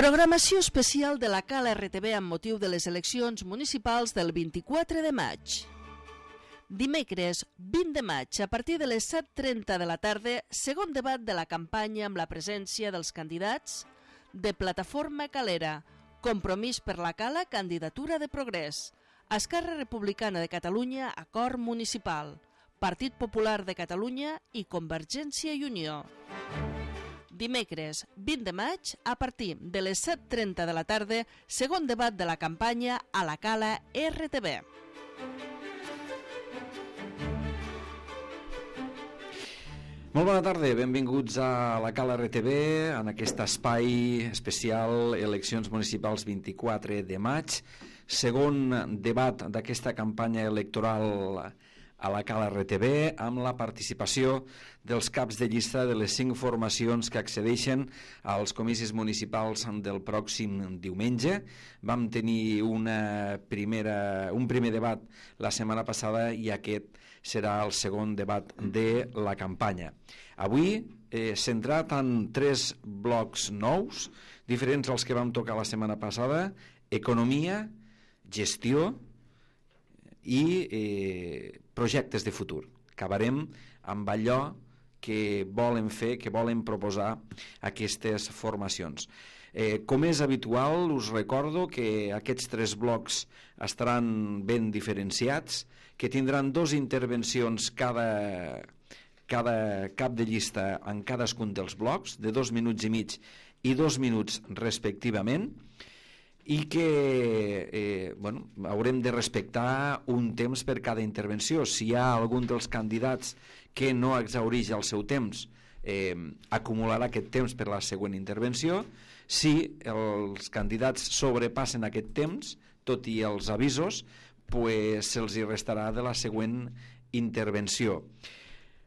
Programació especial de la Cala RTV amb motiu de les eleccions municipals del 24 de maig. Dimecres 20 de maig, a partir de les 7:30 de la tarda, segon debat de la campanya amb la presència dels candidats de Plataforma Calera, Compromís per la Cala, Candidatura de Progrés, Esquerra Republicana de Catalunya, Acord Municipal, Partit Popular de Catalunya i Convergència i Unió. Dimecres 20 de maig, a partir de les 7:30 de la tarda, segon debat de la campanya a la Cala RTV. Molt bona tarda, benvinguts a la Cala RTV, en aquest espai especial Eleccions Municipals 24 de maig, segon debat d'aquesta campanya electoral a la Cala RTV, amb la participació dels caps de llista de les 5 formacions que accedeixen als comicis municipals del pròxim diumenge. Vam tenir un primer debat la setmana passada i aquest serà el segon debat de la campanya. Avui, centrat en 3 blocs nous, diferents als que vam tocar la setmana passada: economia, gestió i projectes de futur. Acabarem amb allò que volen fer, que volen proposar aquestes formacions. Com és habitual, us recordo que aquests 3 blocs estaran ben diferenciats, que tindran 2 intervencions cada cap de llista en cadascun dels blocs, de 2 minuts i mig i 2 minuts respectivament, i que haurem de respectar un temps per cada intervenció. Si hi ha algun dels candidats que no exhaureix el seu temps, acumularà aquest temps per la següent intervenció. Si els candidats sobrepassen aquest temps, tot i els avisos, se'ls hi restarà de la següent intervenció.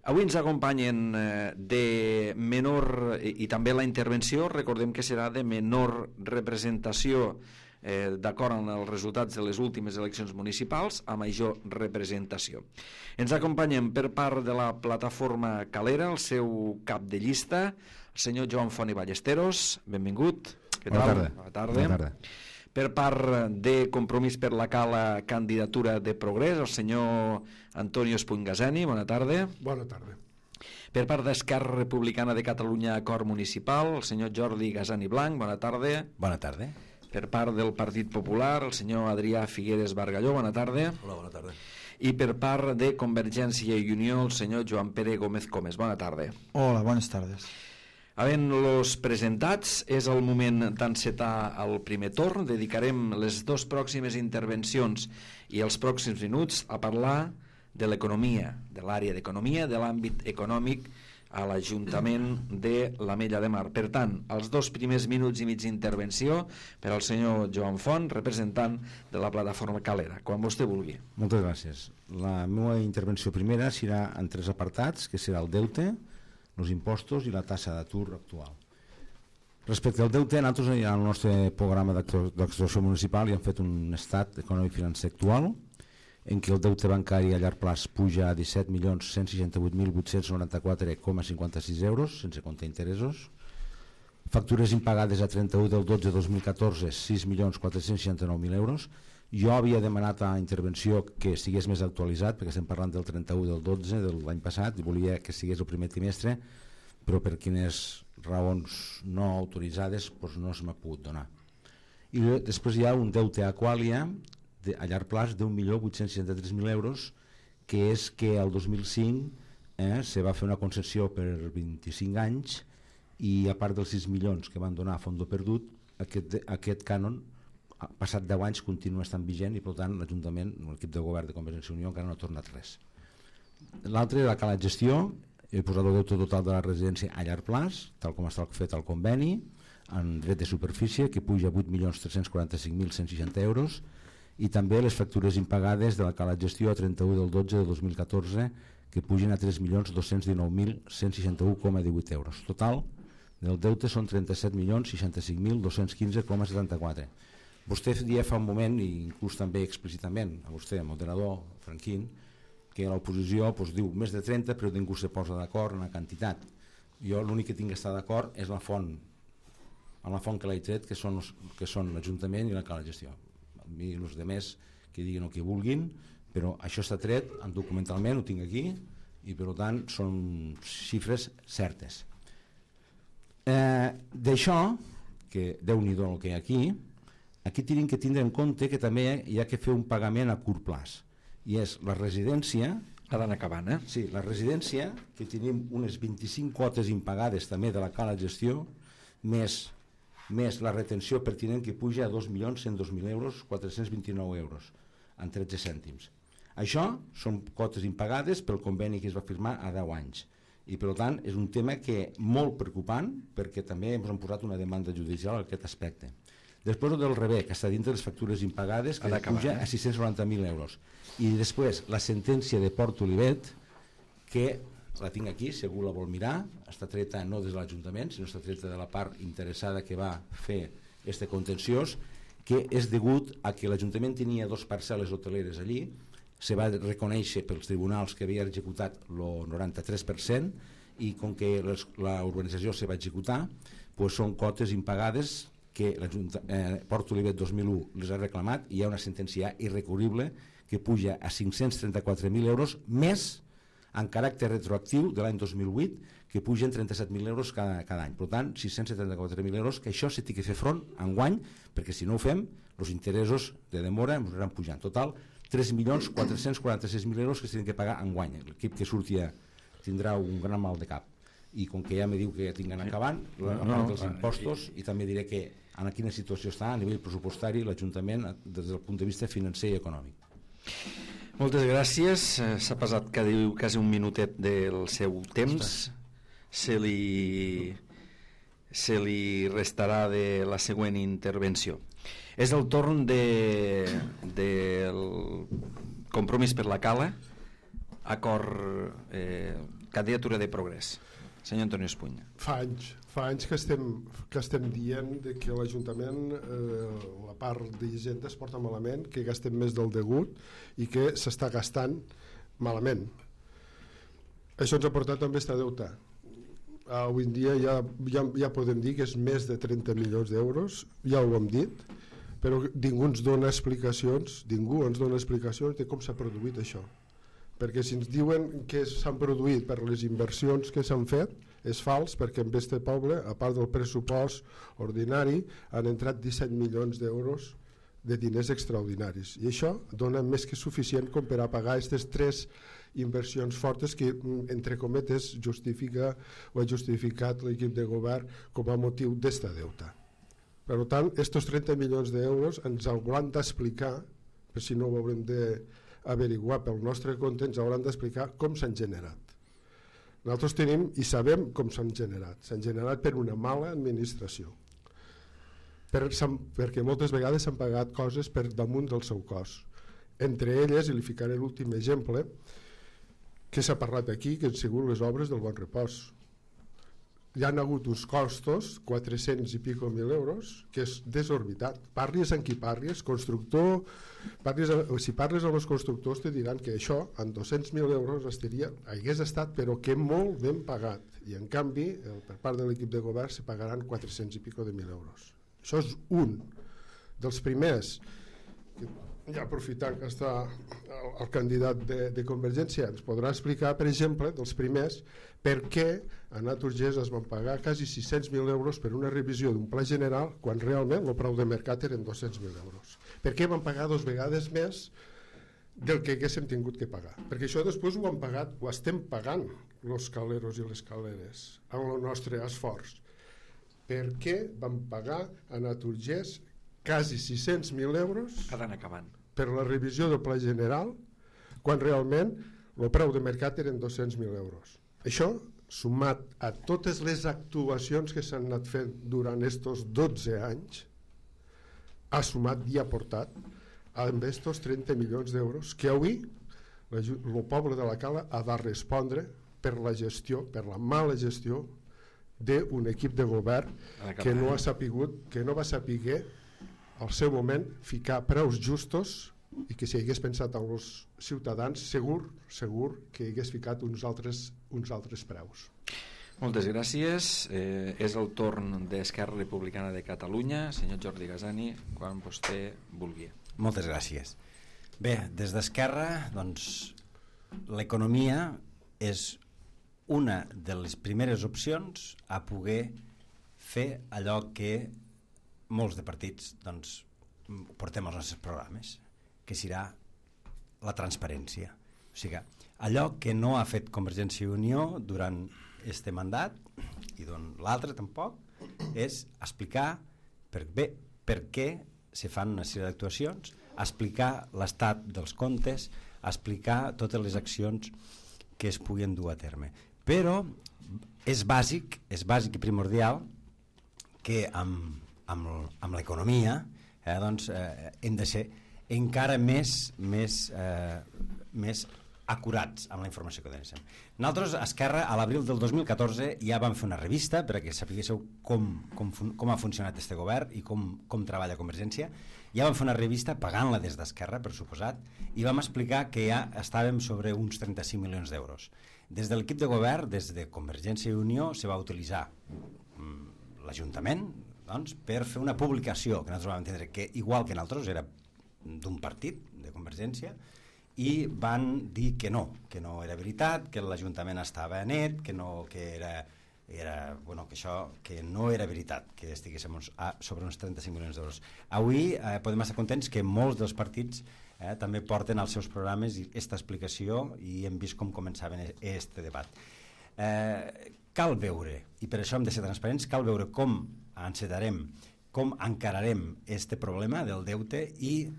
Avui ens acompanyen de menor, i també la intervenció, recordem que serà de menor representació d'acord amb els resultats de les últimes eleccions municipals, a major representació. Ens acompanyen per part de la Plataforma Calera el seu cap de llista, el senyor Joan Font i Ballesteros. Benvingut. Bona tarda. Per part de Compromís per la Cala, Candidatura de Progrés, el senyor Antonio Espungaseni. Bona tarda. Bona tarda. Per part d'Esquerra Republicana de Catalunya, Acord Municipal, el senyor Jordi Gasani Blanc. Bona tarda. Bona tarda. Per part del Partit Popular, el senyor Adrià Figueres Bargalló. Bona tarda. Hola, bona tarda. I per part de Convergència i Unió, el senyor Joan Pere Gómez Comes. Bona tarda. Hola, buenas tardes. Havent-los presentats, és el moment d'encetar el primer torn. Dedicarem les 2 pròximes intervencions i els pròxims minuts a parlar de l'economia, de l'àrea d'economia, de l'àmbit econòmic a l'Ajuntament de l'Ametlla de Mar. Per tant, els 2 primers minuts i mig d'intervenció per al senyor Joan Font, representant de la Plataforma Calera. Quan vostè vulgui. Moltes gràcies. La meva intervenció primera serà en 3 apartats, que serà el deute, els impostos i la tassa d'atur actual. Respecte al deute, nosaltres en el nostre programa d'actuació municipal hi hem fet un estat econòmic financer actual en què el deute bancari a llarg plaç puja a 17.168.894,56 euros sense comptar interessos, factures impagades a 31 del 12 de 2014 6.469.000 euros. Jo havia demanat a intervenció que estigués més actualitzat, perquè estem parlant del 31 del 12 de l'any passat, i volia que estigués el primer trimestre, però per quines raons no autoritzades no se m'ha pogut donar. I després hi ha un deute a Aqualia a llarg plaç d'1.863.000 euros, que és que el 2005 se va fer una concessió per 25 anys i a part dels 6 milions que van donar a fondo perdut, aquest cànon passat 10 anys continua estant vigent i per tant l'Ajuntament, l'equip de govern de Convergència i Unió encara no ha tornat res. L'altre era la Cala Gestió. He posat el deute total de la residència a llarg plaç, tal com està fet el conveni, en dret de superfície, que puja a 8.345.160 euros, i també les factures impagades de la Cala Gestió a 31 del 12 de 2014, que pugen a 3.219.161,18 euros. Total del deute són 37.065.215,74. Vostè dia fa un moment, i inclús també explícitament a vostè, moderador Franquín, que l'oposició diu més de 30 però ningú se posa d'acord en la quantitat. Jo l'únic que tinc que estar d'acord és la font a la font que l'he tret, que són l'Ajuntament i la Cala de Gestió. A mi els demés que diguin el que vulguin, però això està tret documentalment, ho tinc aquí, i per tant són xifres certes. D'això, que Déu-n'hi-do el que hi ha aquí tenim que tindre en compte que també hi ha que fer un pagament a curt plaç, i és la residència. Ha d'anar acabant, Sí, la residència, que tenim unes 25 quotes impagades també de la Cala de Gestió, més la retenció pertinent, que puja a 2.102.000 euros, 429 euros, en 13 cèntims. Això són quotes impagades pel conveni que es va firmar a 10 anys. I per tant és un tema que molt preocupant, perquè també ens han posat una demanda judicial en aquest aspecte. Després del rebé, que està dintre les factures impagades, que puja a 690.000 euros. I després la sentència de Port Olivet, que la tinc aquí, si algú la vol mirar, està treta no des de l'Ajuntament, sinó està treta de la part interessada que va fer este contenciós, que és degut a que l'Ajuntament tenia 2 parcel·les hoteleres allí, se va reconèixer pels tribunals que havia executat el 93%, i com que la urbanització se va executar, doncs són quotes impagades que Port Olivet 2001 les ha reclamat, i hi ha una sentència irrecurrible que puja a 534.000 euros, més en caràcter retroactiu de l'any 2008, que pugen 37.000 euros cada any. Per tant, 674.000 euros, que això s'ha de fer front enguany, perquè si no ho fem, els interessos de demora ens aniran pujant. Total, 3.446.000 euros que s'han de pagar enguany. L'equip que surti tindrà un gran mal de cap. I com que ja me diu que ja tinguin acabant, a part dels impostos, i també diré que en quina situació està a nivell pressupostari l'Ajuntament des del punt de vista financer i econòmic. Moltes gràcies. S'ha passat quasi un minutet del seu temps. Se li restarà de la següent intervenció. És el torn del Compromís per la Cala, acord, candidatura de Progrés. Senyor Antonio Espuny. Fa anys que estem dient que l'Ajuntament, la part d'Hisenda es porta malament, que gastem més del degut i que s'està gastant malament. Això ens ha portat també a deute. Avui en dia ja podem dir que és més de 30 milions d'euros, ja ho hem dit, però ningú ens dona explicacions de com s'ha produït això. Perquè si ens diuen que s'han produït per les inversions que s'han fet, és fals, perquè en este poble, a part del pressupost ordinari, han entrat 17 milions d'euros de diners extraordinaris. I això dona més que suficient com per a pagar aquestes 3 inversions fortes que, entre cometes, justifica o ha justificat l'equip de govern com a motiu d'esta deuta. Per tant, aquests 30 milions d'euros ens hauran d'explicar, per si no ho haurem d'averiguar pel nostre compte, ens hauran d'explicar com s'han generat. Nosaltres tenim i sabem com s'han generat. S'han generat per una mala administració. Perquè moltes vegades s'han pagat coses per damunt del seu cost. Entre elles, i li ficaré l'últim exemple, que s'ha parlat aquí, que han sigut les obres del Bon Repòs. Hi ha hagut uns costos, 400 i pico mil euros, que és desorbitat. Parlis amb qui parlis, constructor, si parles amb els constructors te diran que això, en 200.000 euros hagués estat, però que molt ben pagat. I en canvi, per part de l'equip de govern, se pagaran 400 i pico de mil euros. Això és un dels primers, ja aprofitant que està el candidat de Convergència, ens podrà explicar, per exemple, dels primers, per què a Naturgés es van pagar quasi 600.000 euros per una revisió d'un pla general quan realment el preu de mercat eren 200.000 euros. Per què van pagar 2 vegades més del que haguéssim tingut que pagar? Perquè això després ho han pagat, ho estem pagant els caleros i les caleres amb el nostre esforç. Per què van pagar a Naturgés quasi 600.000 euros per la revisió del pla general quan realment el preu de mercat eren 200.000 euros? Això, sumat a totes les actuacions que s'han anat fent durant aquests 12 anys, ha sumat i ha portat amb aquests 30 milions d'euros que avui el poble de la Cala ha de respondre per la gestió, per la mala gestió d'un equip de govern que no va saber al seu moment ficar preus justos i que si hagués pensat en els ciutadans segur que hagués ficat uns altres preus. Moltes gràcies. És el torn d'Esquerra Republicana de Catalunya. Senyor Jordi Gasani, quan vostè vulgui. Moltes gràcies. Bé, des d'Esquerra, doncs, l'economia és una de les primeres opcions a poder fer allò que molts de partits doncs, portem als nostres programes, que serà la transparència. O sigui, allò que no ha fet Convergència i Unió durant este mandat, i l'altre tampoc, és explicar per què se fan una sèrie d'actuacions, explicar l'estat dels comptes, explicar totes les accions que es puguin dur a terme. Però és bàsic i primordial que amb l'economia doncs, hem de ser encara més acurats amb la informació que donem. Nosaltres, a Esquerra, a l'abril del 2014 ja vam fer una revista perquè sapiguéssiu com ha funcionat este govern i com treballa Convergència. Ja vam fer una revista pagant-la des d'Esquerra, per suposat, i vam explicar que ja estàvem sobre uns 35 milions d'euros. Des de l'equip de govern, des de Convergència i Unió, se va utilitzar l'Ajuntament doncs, per fer una publicació que nosaltres vam entendre que, igual que nosaltres, era d'un partit, de Convergència, i van dir que no era veritat, que l'Ajuntament estava net, que no era veritat que estiguéssim sobre uns 35 milions d'euros. Avui podem estar contents que molts dels partits també porten als seus programes aquesta explicació i hem vist com començaven aquest debat. Cal veure, i per això hem de ser transparents, cal veure com encetarem, com encararem este problema del deute i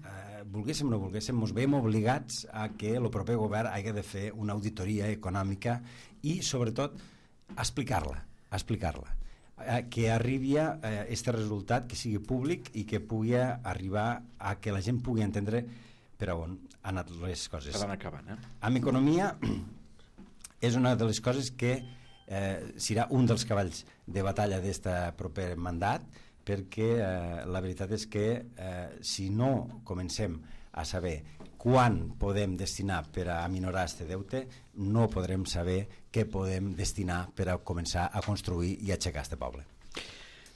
volguéssim o no volguéssim, ens veiem obligats a que el proper govern hagi de fer una auditoria econòmica i sobretot explicar-la, que arribi a aquest resultat, que sigui públic i que pugui arribar a que la gent pugui entendre per on han anat les coses. Que van acabant, Amb economia és una de les coses que serà un dels cavalls de batalla d'aquest proper mandat, perquè la veritat és que si no comencem a saber quan podem destinar per a aminorar aquest deute, no podrem saber què podem destinar per a començar a construir i aixecar aquest poble.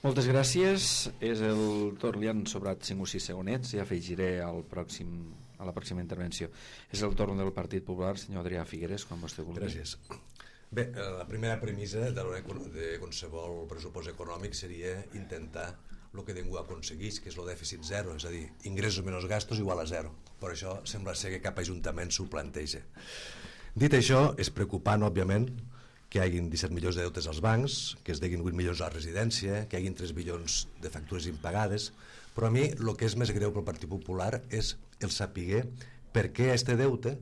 Moltes gràcies. És el torn, li han sobrat 5 o 6 segonets, ja afegiré a la pròxima intervenció. És el torn del Partit Popular, senyor Adrià Figueres, quan vostè vulgui. Gràcies. Bé, la primera premissa de qualsevol pressupost econòmic seria intentar el que ningú aconsegueix, que és el dèficit zero, és a dir, ingressos menys gastos igual a zero. Per això sembla ser que cap ajuntament s'ho planteja. Dit això, és preocupant, òbviament, que hi hagi 17 milions de deutes als bancs, que es deguin 8 milions a la residència, que hi hagi 3 milions de factures impagades, però a mi el que és més greu pel Partit Popular és el saber per què este deute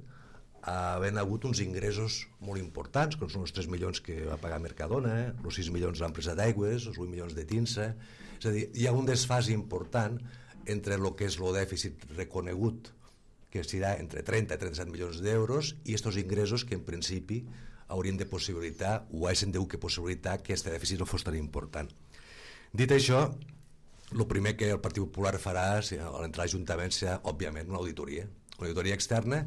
havent hagut uns ingressos molt importants, com són els 3 milions que va pagar Mercadona, els 6 milions de l'empresa d'aigües, els 8 milions de Tinsa. És a dir, hi ha un desfàs important entre el que és el dèficit reconegut, que serà entre 30 i 37 milions d'euros, i aquests ingressos que en principi haurien de possibilitar, o haguessin de possibilitar que aquest dèficit no fos tan important. Dit això, el primer que el Partit Popular farà a l'entrar a l'Ajuntament serà, òbviament, una auditoria externa,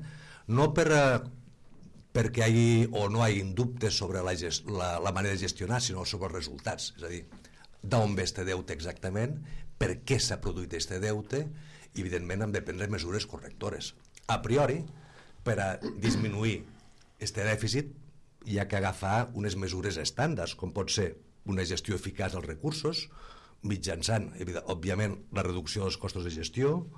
no perquè hi hagi o no hi hagi dubtes sobre la manera de gestionar, sinó sobre els resultats. És a dir, d'on ve este deute exactament, per què s'ha produït este deute, i evidentment hem de prendre mesures correctores. A priori, per a disminuir este dèficit, hi ha que agafar unes mesures estàndards, com pot ser una gestió eficaç dels recursos, mitjançant, òbviament, la reducció dels costos de gestió.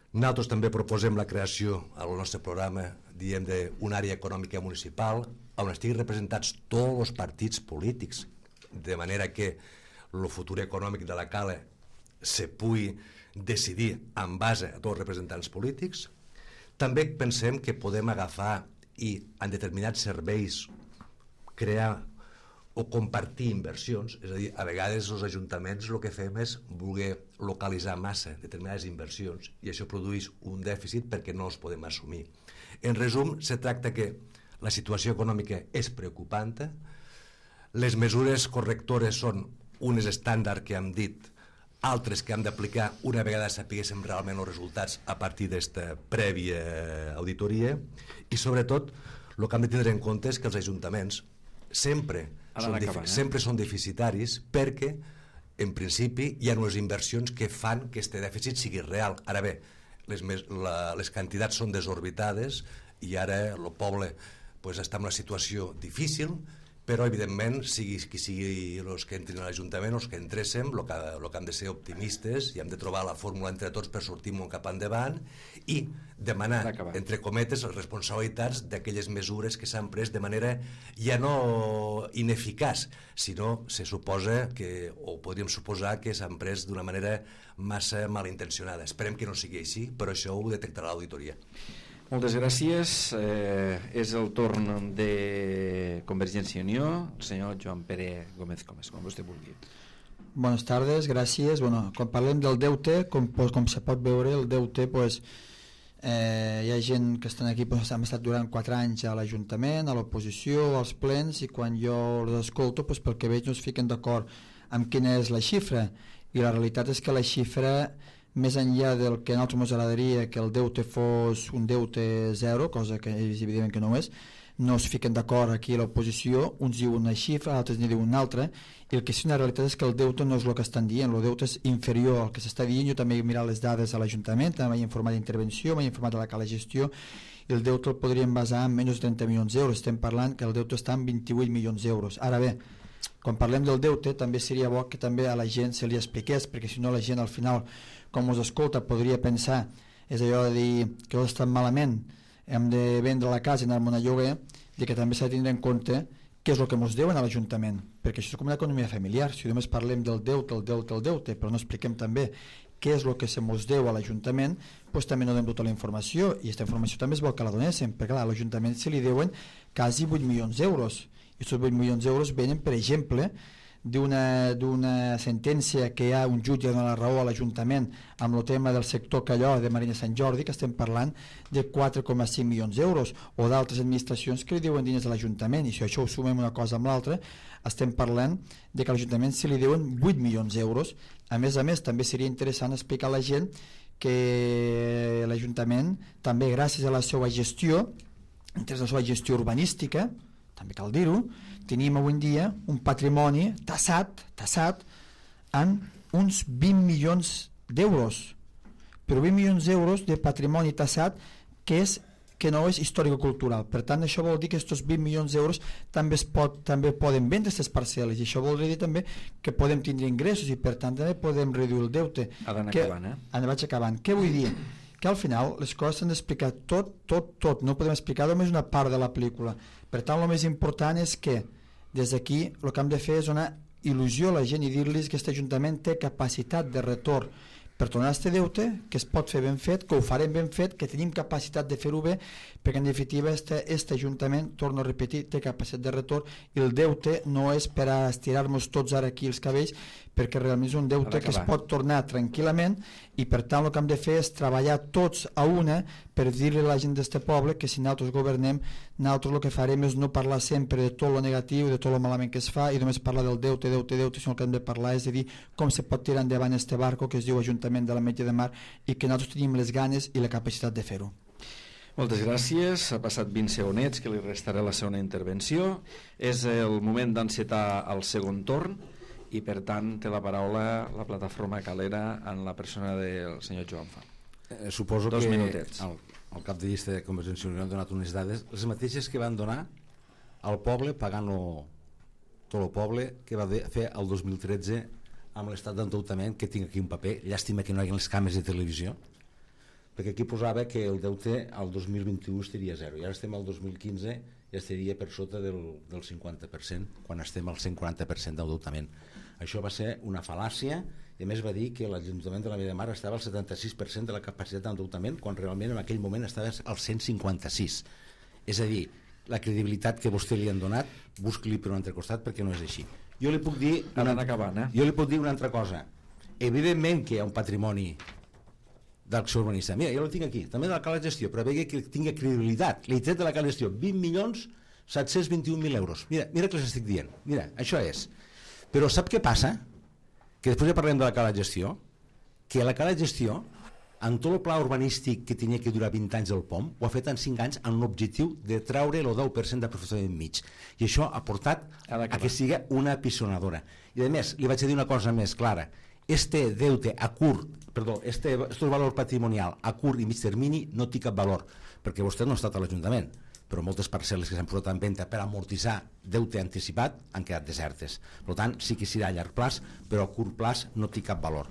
Nosaltres també proposem la creació al nostre programa, diem, d'una àrea econòmica municipal on estiguin representats tots els partits polítics, de manera que el futur econòmic de la Cala se pugui decidir en base a tots els representants polítics. També pensem que podem agafar i en determinats serveis crear o compartir inversions, és a dir, a vegades els ajuntaments el que fem és voler localitzar massa determinades inversions i això produeix un dèficit perquè no els podem assumir. En resum, se tracta que la situació econòmica és preocupant, les mesures correctores són unes estàndard que hem dit, altres que hem d'aplicar una vegada sapiguéssim realment els resultats a partir d'esta prèvia auditoria, i sobretot el que hem de tindre en compte és que els ajuntaments sempre sempre són deficitaris perquè, en principi, hi ha unes inversions que fan que este dèficit sigui real. Ara bé, les quantitats són desorbitades i ara el poble està en una situació difícil, però evidentment sigui qui sigui els que entrin a l'Ajuntament, els que entréssim, el que hem de ser optimistes i hem de trobar la fórmula entre tots per sortir-nos cap endavant i demanar, entre cometes, les responsabilitats d'aquelles mesures que s'han pres de manera ja no ineficaç, sinó se suposa que, o podríem suposar que s'han pres d'una manera massa malintencionada. Esperem que no sigui així, però això ho detectarà l'auditoria. Moltes gràcies. És el torn de Convergència i Unió, el senyor Joan Pere Gómez Comes, com vostè vulgui. Buenas tardes, gràcies. Quan parlem del deute, com se pot veure, el deute, hi ha gent que estan aquí, hem estat durant 4 anys a l'Ajuntament, a l'oposició, als plens, i quan jo els escolto, pel que veig no es fiquen d'acord amb quina és la xifra, i la realitat és que la xifra, més enllà del que a nosaltres ens agradaria que el deute fos un deute zero, cosa que és evident que no és, no es fiquen d'acord aquí a l'oposició, uns diuen una xifra, altres n'hi diuen una altra, i el que sí una realitat és que el deute no és el que estan dient, el deute és inferior al que s'està dient. Jo també he mirat les dades a l'Ajuntament, també m'he informat d'intervenció, m'he informat de la cala gestió, i el deute el podríem basar en menys de 30 milions d'euros, estem parlant que el deute està en 28 milions d'euros. Ara bé, quan parlem del deute també seria bo que també a la gent se li expliqués, perquè si no la gent al final, com us escolta, podria pensar, és allò de dir que tot està malament, hem de vendre la casa i anar-me a lloguer, i que també s'ha de tindre en compte què és el que ens deuen a l'Ajuntament, perquè això és com una economia familiar. Si només parlem del deute, però no expliquem també què és el que se mos deu a l'Ajuntament, doncs també no donem tota la informació, i aquesta informació també és bo que la donéssim, perquè a l'Ajuntament se li deuen quasi 8 milions d'euros, i aquests 8 milions d'euros venen, per exemple, d'una sentència que hi ha un jutge que dona la raó a l'Ajuntament amb el tema del sector Calló de Marina Sant Jordi, que estem parlant de 4,5 milions d'euros, o d'altres administracions que li diuen diners a l'Ajuntament, i si això ho sumem una cosa amb l'altra, estem parlant de que a l'Ajuntament se li deuen 8 milions d'euros. A més, també seria interessant explicar a la gent que l'Ajuntament també, gràcies a la seva gestió, entre la seva gestió urbanística, també cal dir-ho, tenim avui en dia un patrimoni tassat en uns 20 milions d'euros, però 20 milions d'euros de patrimoni tassat que no és històrico-cultural. Per tant, això vol dir que aquests 20 milions d'euros també poden vendre aquestes parcel·les, i això vol dir també que podem tindre ingressos i per tant també podem reduir el deute. Vaig acabant. Què vull dir? Que al final les coses s'han d'explicar tot, no podem explicar només una part de la pel·lícula. Per tant, el més important és que des d'aquí el que hem de fer és donar il·lusió a la gent i dir-los que aquest Ajuntament té capacitat de retorn per tornar a aquest deute, que es pot fer ben fet, que ho farem ben fet, que tenim capacitat de fer-ho bé, perquè en definitiva aquest Ajuntament, torno a repetir, té capacitat de retorn, i el deute no és per a estirar-nos tots ara aquí els cabells, perquè realment és un deute que es pot tornar tranquil·lament, i per tant el que hem de fer és treballar tots a una per dir-li a la gent d'este poble que si nosaltres governem, nosaltres el que farem és no parlar sempre de tot lo negatiu, de tot lo malament que es fa, i només parlar del deute, sinó el que hem de parlar és de dir com se pot tirar endavant este barco que es diu Ajuntament de l'Ametlla de Mar, i que nosaltres tenim les ganes i la capacitat de fer-ho. Moltes gràcies. Ha passat 20 segonets que li restaré la segona intervenció. És el moment d'encetar el segon torn i per tant té la paraula la plataforma Calera en la persona del senyor Joan Fa. Suposo Dos que minutets. el cap de llista de Convergència i Unió han donat unes dades, les mateixes que van donar al poble pagant-lo tot el poble que va fer el 2013 amb l'estat d'endeutament, que tinc aquí un paper, llàstima que no hi ha les càmeres de televisió, perquè aquí posava que el deute al 2021 estaria a zero, i ara estem al 2015 ja estaria per sota del 50%, quan estem al 140% d'endeutament. Això va ser una fal·làcia, i a més va dir que l'Ajuntament de l'Ametlla de Mar estava al 76% de la capacitat d'endeutament, quan realment en aquell moment estava al 156%. És a dir, la credibilitat que vostè li han donat, busqui-li per un altre costat, perquè no és així. Jo li puc dir una altra cosa. Evidentment que hi ha un patrimoni d'acció urbanista. Mira, jo lo tinc aquí, també de la cala gestió, però veia que tingui credibilitat. L'he tret de la cala gestió, 20.721.000 euros. Mira que els estic dient. Mira, això és. Però sap què passa? Que després ja parlem de la cala gestió, que la cala gestió en tot el pla urbanístic que tenia que durar 20 anys del POM, ho ha fet en 5 anys amb l'objectiu de treure el 10% d'aprofitament mig. I això ha portat a que sigui una pisonadora. I a més, li vaig dir una cosa més clara. Deute a curt, perdó, estos valor patrimonial a curt i mig termini no té cap valor, perquè vostè no ha estat a l'Ajuntament, però moltes parcel·les que s'han posat en venda per amortitzar deute anticipat han quedat desertes. Per tant, sí que serà a llarg plaç, però a curt plaç no té cap valor.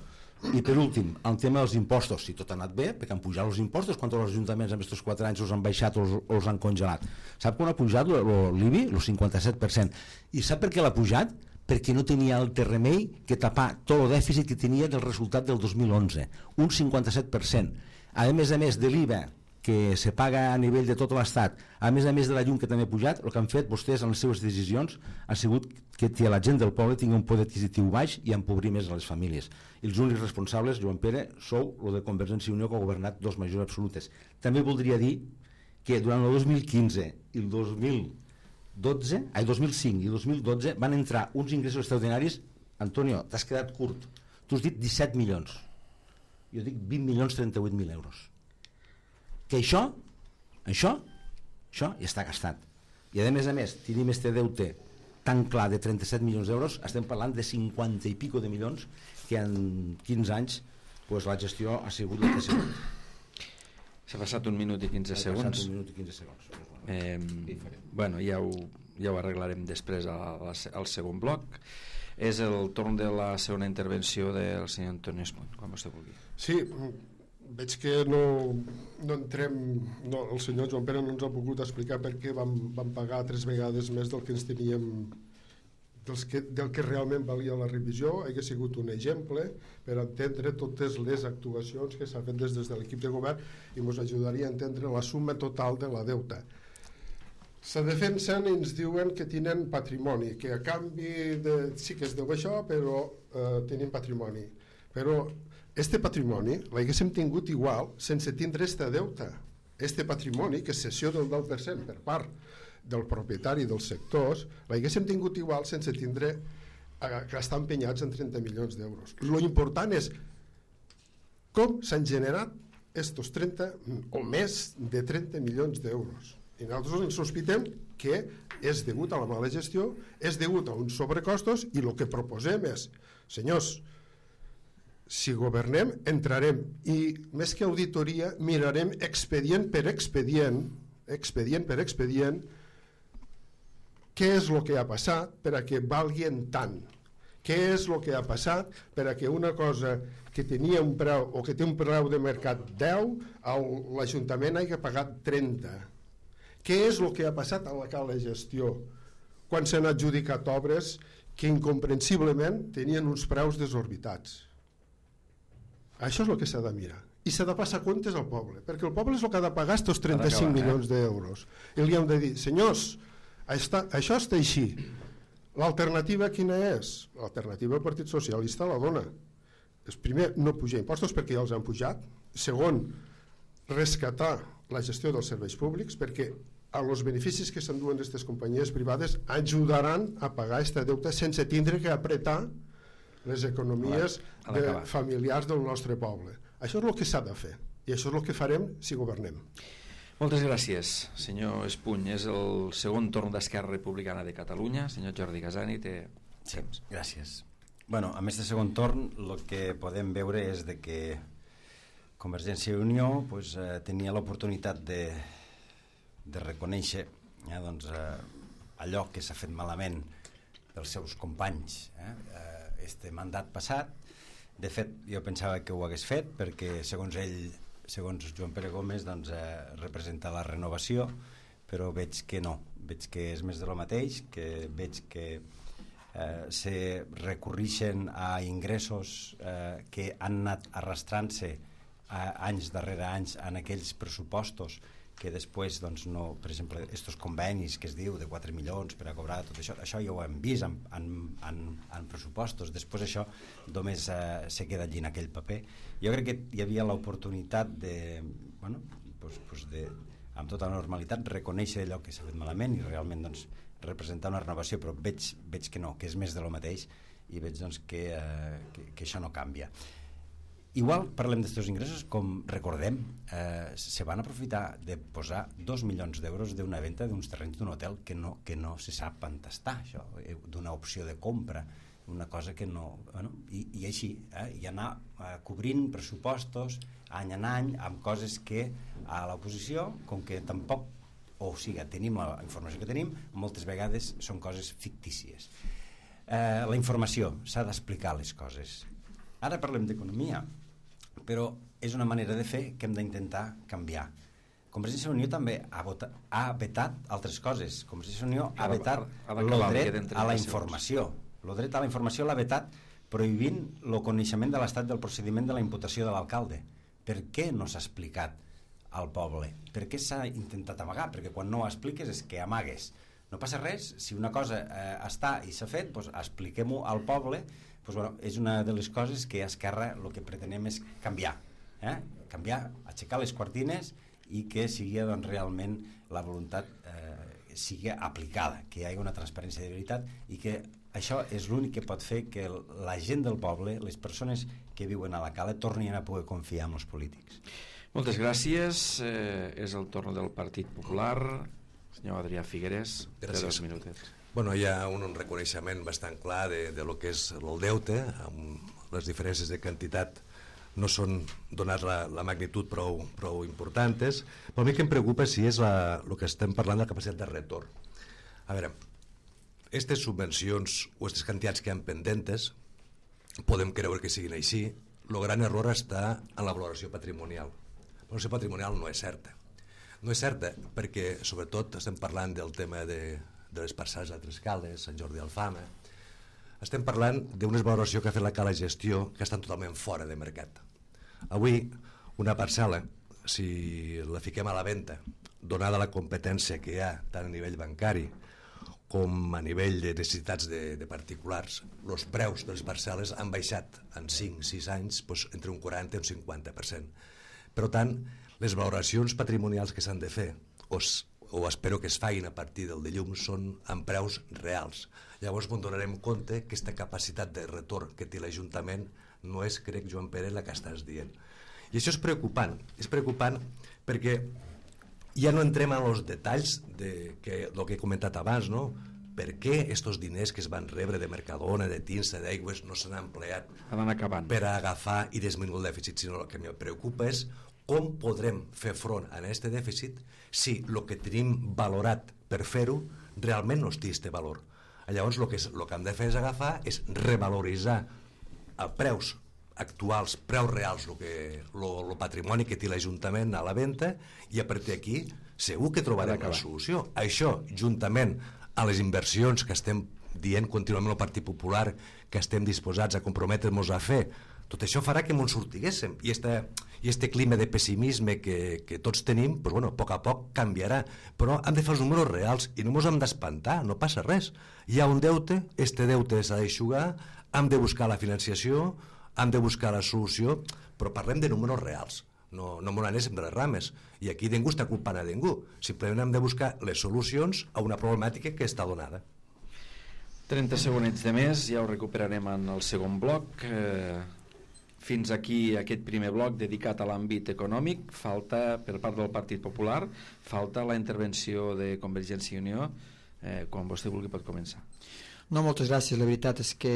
I per últim, el tema dels impostos, si tot ha anat bé, perquè han pujat els impostos, quan els ajuntaments en aquests 4 anys els han baixat o els han congelat. Sap quan ha pujat l'IBI? El 57%. I sap per què l'ha pujat? Perquè no tenia altre remei que tapar tot el dèficit que tenia del resultat del 2011, un 57%. A més de l'IVA que se paga a nivell de tot l'Estat, a més de la llum que també ha pujat, el que han fet vostès en les seves decisions ha sigut que la gent del poble tingui un poder adquisitiu baix i empobrir més a les famílies. I els únics responsables, Joan Pere, sou el de Convergència i Unió, que ha governat 2 majories absolutes. També voldria dir que durant el 2015 i el 2005 i el 2012 van entrar uns ingressos extraordinaris. Antonio, t'has quedat curt. Tu has dit 17 milions. Jo dic 20.038.000 euros. Que això ja està gastat. I a més, tenim este deute tan clar de 37 milions d'euros, estem parlant de 50 i pico de milions que en 15 anys la gestió ha sigut la que ha sigut. S'ha passat 1 minut i 15 segons. Bueno, ja ho arreglarem després al segon bloc. És el torn de la segona intervenció del senyor Antoni Espuny, quan vostè vulgui. Sí, veig que no entrem, el senyor Joan Pere no ens ha pogut explicar per què vam pagar 3 vegades més del que ens teníem, del que realment valia la revisió. Hauria sigut un exemple per entendre totes les actuacions que s'ha fet des de l'equip de govern i ens ajudaria a entendre la suma total de la deuta. Se defensen i ens diuen que tenen patrimoni, que a canvi sí que es deu això, però tenim patrimoni. Però este patrimoni l'haguéssim tingut igual sense tindre este deute. Este patrimoni, que és cessió del 10% per part del propietari dels sectors, l'haguéssim tingut igual sense tindre que estar empenyats en 30 milions d'euros. Lo important és com s'han generat estos 30 o més de 30 milions d'euros. I nosaltres ens sospitem que és degut a la mala gestió, és degut a uns sobrecostos, i el que proposem és, senyors, si governem, entrarem, i més que auditoria, mirarem expedient per expedient, què és el que ha passat per a que valguin tant, què és el que ha passat per a que una cosa que tenia un preu o que té un preu de mercat 10, l'Ajuntament hagi pagat 30. Què és el que ha passat a la gestió quan s'han adjudicat obres que incomprensiblement tenien uns preus desorbitats? Això és el que s'ha de mirar. I s'ha de passar comptes al poble, perquè el poble és el que ha de pagar aquests 35 milions d'euros. I li hem de dir, senyors, això està així. L'alternativa quina és? L'alternativa el Partit Socialista la dona. Primer, no pujar impostos perquè ja els han pujat. Segon, rescatar la gestió dels serveis públics, perquè els beneficis que s'enduen d'aquestes companyies privades ajudaran a pagar aquest deute sense tindre que apretar les economies familiars del nostre poble. Això és el que s'ha de fer, i això és el que farem si governem. Moltes gràcies, senyor Espuny. És el segon torn d'Esquerra Republicana de Catalunya. Senyor Jordi Casani, té temps. Gràcies. Bueno, amb aquest segon torn el que podem veure és de que Convergència i Unió tenia l'oportunitat de reconèixer allò que s'ha fet malament pels seus companys este mandat passat. De fet, jo pensava que ho hagués fet perquè segons ell, segons Joan Pere Gómez, representa la renovació, però veig que no, veig que és més de lo mateix, que veig que se recorreixen a ingressos que han anat arrastrant-se anys darrere anys en aquells pressupostos que després, no, per exemple, estos convenis que es diu de 4 milions per a cobrar tot això, això ja ho hem vist en pressupostos. Després això només se queda allí en aquell paper. Jo crec que hi havia l'oportunitat de, amb tota normalitat, reconèixer allò que s'ha fet malament i realment representar una renovació, però veig que no, que és més de lo mateix, i veig que això no canvia. igual parlem d'estos ingressos, com recordem, se van aprofitar de posar 2 milions d'euros d'una venda d'uns terrenys d'un hotel que no se sap on està, això, d'una opció de compra, una cosa que no... Bueno, i així, i anar cobrint pressupostos any en any amb coses que a l'oposició, com que tampoc, o sigui, tenim la informació que tenim, moltes vegades són coses fictícies. La informació, s'ha d'explicar les coses. Ara parlem d'economia, però és una manera de fer que hem d'intentar canviar. Convergència i Unió també ha vetat altres coses. Convergència i Unió ha vetat el dret a la informació. El dret a la informació l'ha vetat prohibint el coneixement de l'estat del procediment de la imputació de l'alcalde. Per què no s'ha explicat al poble? Per què s'ha intentat amagar? Perquè quan no ho expliques és que amagues. No passa res, si una cosa està i s'ha fet, doncs expliquem-ho al poble. Doncs, bueno, és una de les coses que a Esquerra el que pretenem és canviar. Canviar, aixecar les cortines i que sigui doncs, realment la voluntat sigui aplicada, que hi hagi una transparència de veritat i que això és l'únic que pot fer que la gent del poble, les persones que viuen a la cala, tornin a poder confiar en els polítics. Moltes gràcies. És el torn del Partit Popular. Senyor Adrià Figueres, de 2 minuts. Bueno, hi ha un reconeixement bastant clar de lo que és el deute, amb les diferències de quantitat no són donar la magnitud prou importants, però a mi que em preocupa si és el que estem parlant de la capacitat de retorn. A veure, aquestes subvencions o aquestes quantitats que hi ha pendentes podem creure que siguin així. El gran error està en la valoració patrimonial. La valoració patrimonial no és certa. No és certa perquè, sobretot, estem parlant del tema de les parcel·les a Tres Cales, Sant Jordi Alfama. Estem parlant d'una valoració que ha fet la Cala Gestió que estan totalment fora de mercat. Avui, una parcel·la, si la fiquem a la venda, donada la competència que hi ha tant a nivell bancari com a nivell de necessitats de particulars, els preus de les parcel·les han baixat en 5-6 anys entre un 40 i un 50%. Per tant, les valoracions patrimonials que s'han de fer, o espero que es facin a partir del dilluns, són amb preus reals. Llavors ens donarem compte que aquesta capacitat de retorn que té l'Ajuntament no és, crec, Joan Pere, la que estàs dient. I això és preocupant perquè ja no entrem en els detalls del que he comentat abans, no? Per què aquests diners que es van rebre de Mercadona, de Tinsa, d'Aigües, no s'han empleat per agafar i disminuir el dèficit, sinó el que em preocupa és com podrem fer front a aquest dèficit si el que tenim valorat per fer-ho realment no té aquest valor. Llavors el que hem de fer és agafar, és revaloritzar a preus actuals, preus reals, el patrimoni que té l'Ajuntament a la venda, i a partir d'aquí segur que trobarem la solució. Això, juntament a les inversions que estem dient contínuament al Partit Popular que estem disposats a comprometre'ns a fer, tot això farà que ens sortiguéssim, i este clima de pessimisme que tots tenim, pues bueno, a poc canviarà, però hem de fer els números reals i no ens hem d'espantar, no passa res. Hi ha un deute, este deute s'ha d'eixugar, hem de buscar la financiació, hem de buscar la solució, però parlem de números reals, no ens anéssim de les rames, i aquí ningú està culpant a ningú, simplement hem de buscar les solucions a una problemàtica que està donada. 30 segonets de més, ja ho recuperarem en el segon bloc. Fins aquí aquest primer bloc dedicat a l'àmbit econòmic. Falta, per part del Partit Popular, falta la intervenció de Convergència i Unió. Quan vostè vulgui pot començar. No, moltes gràcies. La veritat és que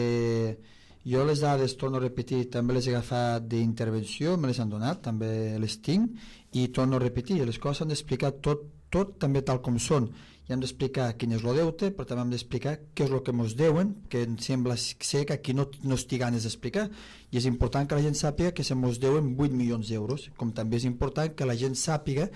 jo les dades, torno a repetir, també les he agafat d'intervenció, me les han donat, també les tinc, i torno a repetir, les coses s'han d'explicar tot també tal com són. I hem d'explicar quin és el deute, però també hem d'explicar què és el que ens deuen, que em sembla ser que aquí no estic ganes d'explicar, i és important que la gent sàpiga que se ens deuen 8 milions d'euros, com també és important que la gent sàpiga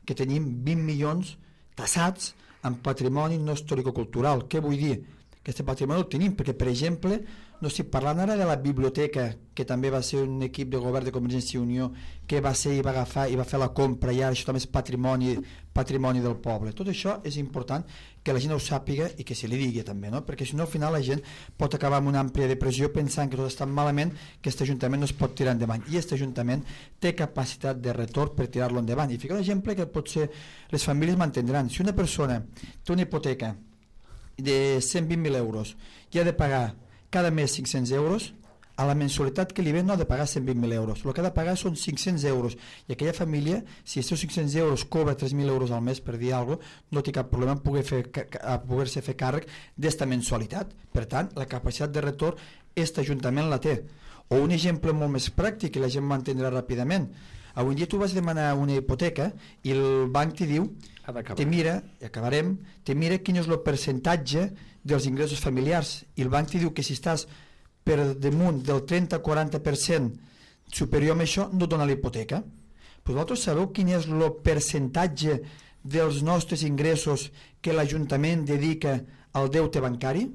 que tenim 20 milions tassats en patrimoni no historicocultural. Què vull dir? Que aquest patrimoni el tenim, perquè, per exemple, no estic parlant ara de la biblioteca, que també va ser un equip de govern de Convergència i Unió que va ser i va agafar i va fer la compra, i ara això també és patrimoni del poble. Tot això és important que la gent ho sàpiga i que se li digui també, no? Perquè si no al final la gent pot acabar amb una àmplia depressió pensant que tot està malament, que aquest Ajuntament no es pot tirar endavant, i aquest Ajuntament té capacitat de retorn per tirar-lo endavant. I fico un exemple que potser les famílies m'entendran. Si una persona té una hipoteca de 120.000 euros i ha de pagar cada mes 500 euros, a la mensualitat que li ve no ha de pagar 120.000 euros, el que ha de pagar són 500 euros, i aquella família, si aquests 500 euros cobra 3.000 euros al mes, per dir alguna cosa, no té cap problema a poder-se fer càrrec d'esta mensualitat. Per tant, la capacitat de retorn aquest Ajuntament la té. O un exemple molt més pràctic, i la gent m'entendrà ràpidament. Avui dia tu vas demanar una hipoteca i el banc t'hi diu, te mira, i acabarem, te mira quin és el percentatge dels ingressos familiars, i el banc t'hi diu que si estàs per damunt del 30-40% superior a això, no et dona la hipoteca. Però vosaltres sabeu quin és el percentatge dels nostres ingressos que l'Ajuntament dedica al deute bancari?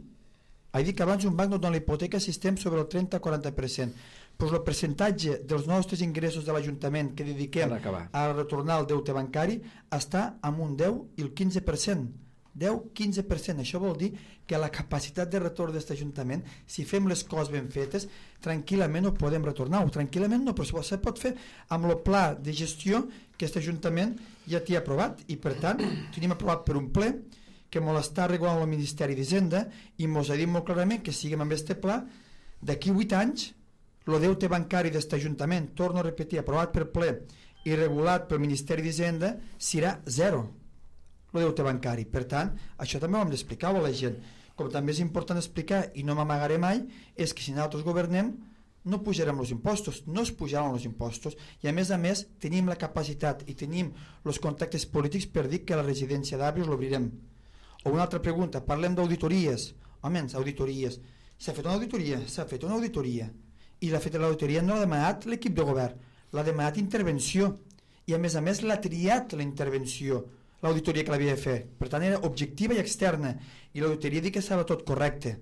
He dit que abans un banc no dona la hipoteca si estem sobre el 30-40%. Però el percentatge dels nostres ingressos de l'Ajuntament que dediquem a retornar el deute bancari està amb un 10 i el 15%. 10-15%. Això vol dir que la capacitat de retorn d'aquest Ajuntament, si fem les coses ben fetes, tranquil·lament ho podem retornar, o tranquil·lament no, però se pot fer amb el pla de gestió que aquest Ajuntament ja t'hi ha aprovat, i per tant tenim aprovat per un ple que ens està regulant el Ministeri d'Hisenda i ens ha dit molt clarament que siguem amb aquest pla d'aquí 8 anys el deute bancari d'aquest Ajuntament, torno a repetir, aprovat per ple i regulat pel Ministeri d'Hisenda, serà zero el deute bancari. Per tant, això també ho hem d'explicar a la gent. Com també és important explicar, i no m'amagaré mai, és que si nosaltres governem no pujarem els impostos, no es pujaran els impostos, i a més tenim la capacitat i tenim els contactes polítics per dir que la residència d'Àrbios l'obrirem. O una altra pregunta, parlem d'auditories. Home, auditories. S'ha fet una auditoria, i l'auditoria no l'ha demanat l'equip de govern, l'ha demanat intervenció, i a més l'ha triat la intervenció, l'auditoria que l'havia de fer. Per tant, era objectiva i externa, i l'auditoria diu que estava tot correcte.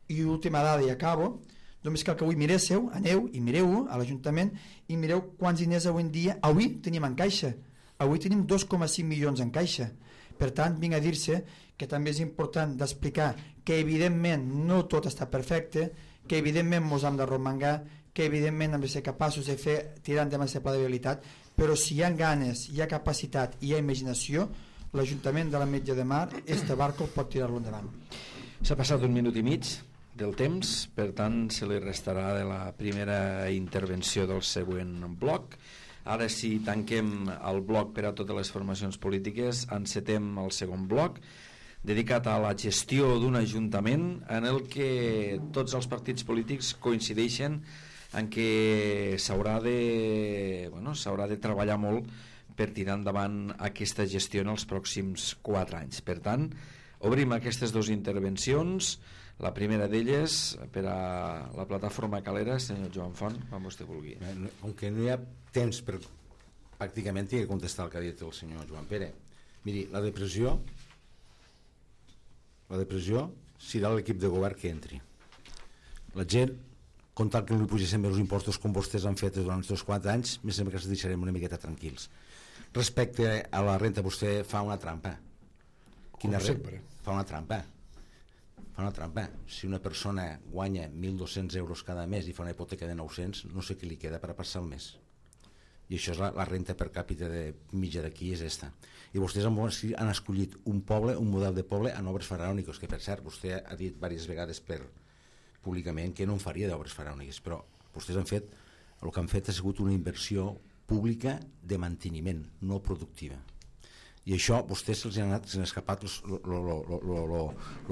I última dada, i acabo, només cal que avui miréssiu, aneu i mireu a l'Ajuntament i mireu quants diners avui en dia tenim en caixa. Avui tenim 2,5 milions en caixa. Per tant, vinc a dir-se que també és important d'explicar que evidentment no tot està perfecte, que evidentment ens hem de romangar, que evidentment hem de ser capaços de fer tirar endavant aquest pla de viabilitat, però si hi ha ganes, hi ha capacitat i hi ha imaginació, l'Ajuntament de l'Ametlla de Mar, este barco pot tirar-lo endavant. S'ha passat 1 minut i mig del temps, per tant se li restarà de la primera intervenció del següent bloc. Ara si tanquem el bloc per a totes les formacions polítiques, encetem el segon bloc, dedicat a la gestió d'un ajuntament en el que tots els partits polítics coincideixen en què s'haurà de treballar molt per tirar endavant aquesta gestió en els pròxims 4 anys. Per tant, obrim aquestes 2 intervencions. La primera d'elles per a la plataforma Calera, senyor Joan Font, quan vostè vulgui. Com que no hi ha temps per pràcticament he de contestar el que ha dit el senyor Joan Pere. Miri, la depressió serà l'equip de govern que entri. La gent, comptant que no li pugéssim els impostos com vostès han fet durant aquests 4 anys, més sembla que ens deixarem una miqueta tranquils. Respecte a la renta, vostè fa una trampa. Quina renta? Fa una trampa. Si una persona guanya 1.200 euros cada mes i fa una hipoteca de 900, no sé què li queda per a passar el mes. I això és la renta per càpita mitja d'aquí, és esta. I vostès han escollit un model de poble en obres faraòniques, que per cert vostè ha dit diverses vegades públicament que no en faria d'obres faraòniques, però vostès el que han fet ha sigut una inversió pública de manteniment, no productiva. I això a vostès se'ls ha escapat el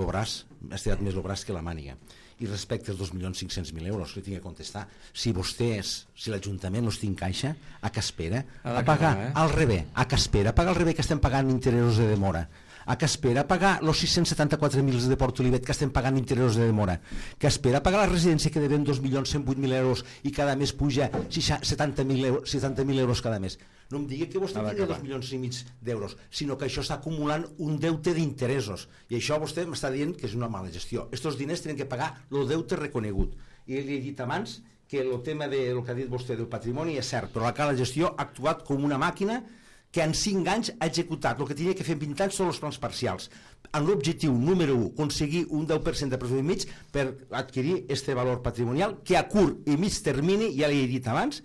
braç, ha estirat més el braç que la màniga. I respecte als 2.500.000 euros, li tinc que contestar, si l'Ajuntament els té en caixa, a què espera? A pagar al revés, que estem pagant interessos de demora, a què espera pagar els 674.000 de Port Olivet que estem pagant interessos de demora, que espera pagar la residència que devem 2.108.000 euros i cada mes puja 70.000 euros cada mes. No em digui que vostè tingui 2,5 milions d'euros, sinó que això està acumulant un deute d'interessos, i això vostè m'està dient que és una mala gestió. Estos diners tenen que pagar el deute reconegut, i li he dit abans que el tema del que ha dit vostè del patrimoni és cert, però la cala gestió ha actuat com una màquina que en 5 anys ha executat el que tenia que fer en 20 anys són els plans parcials, amb l'objectiu número 1, aconseguir un 10% de pressupost mig per adquirir este valor patrimonial que a curt i mig termini, ja li he dit abans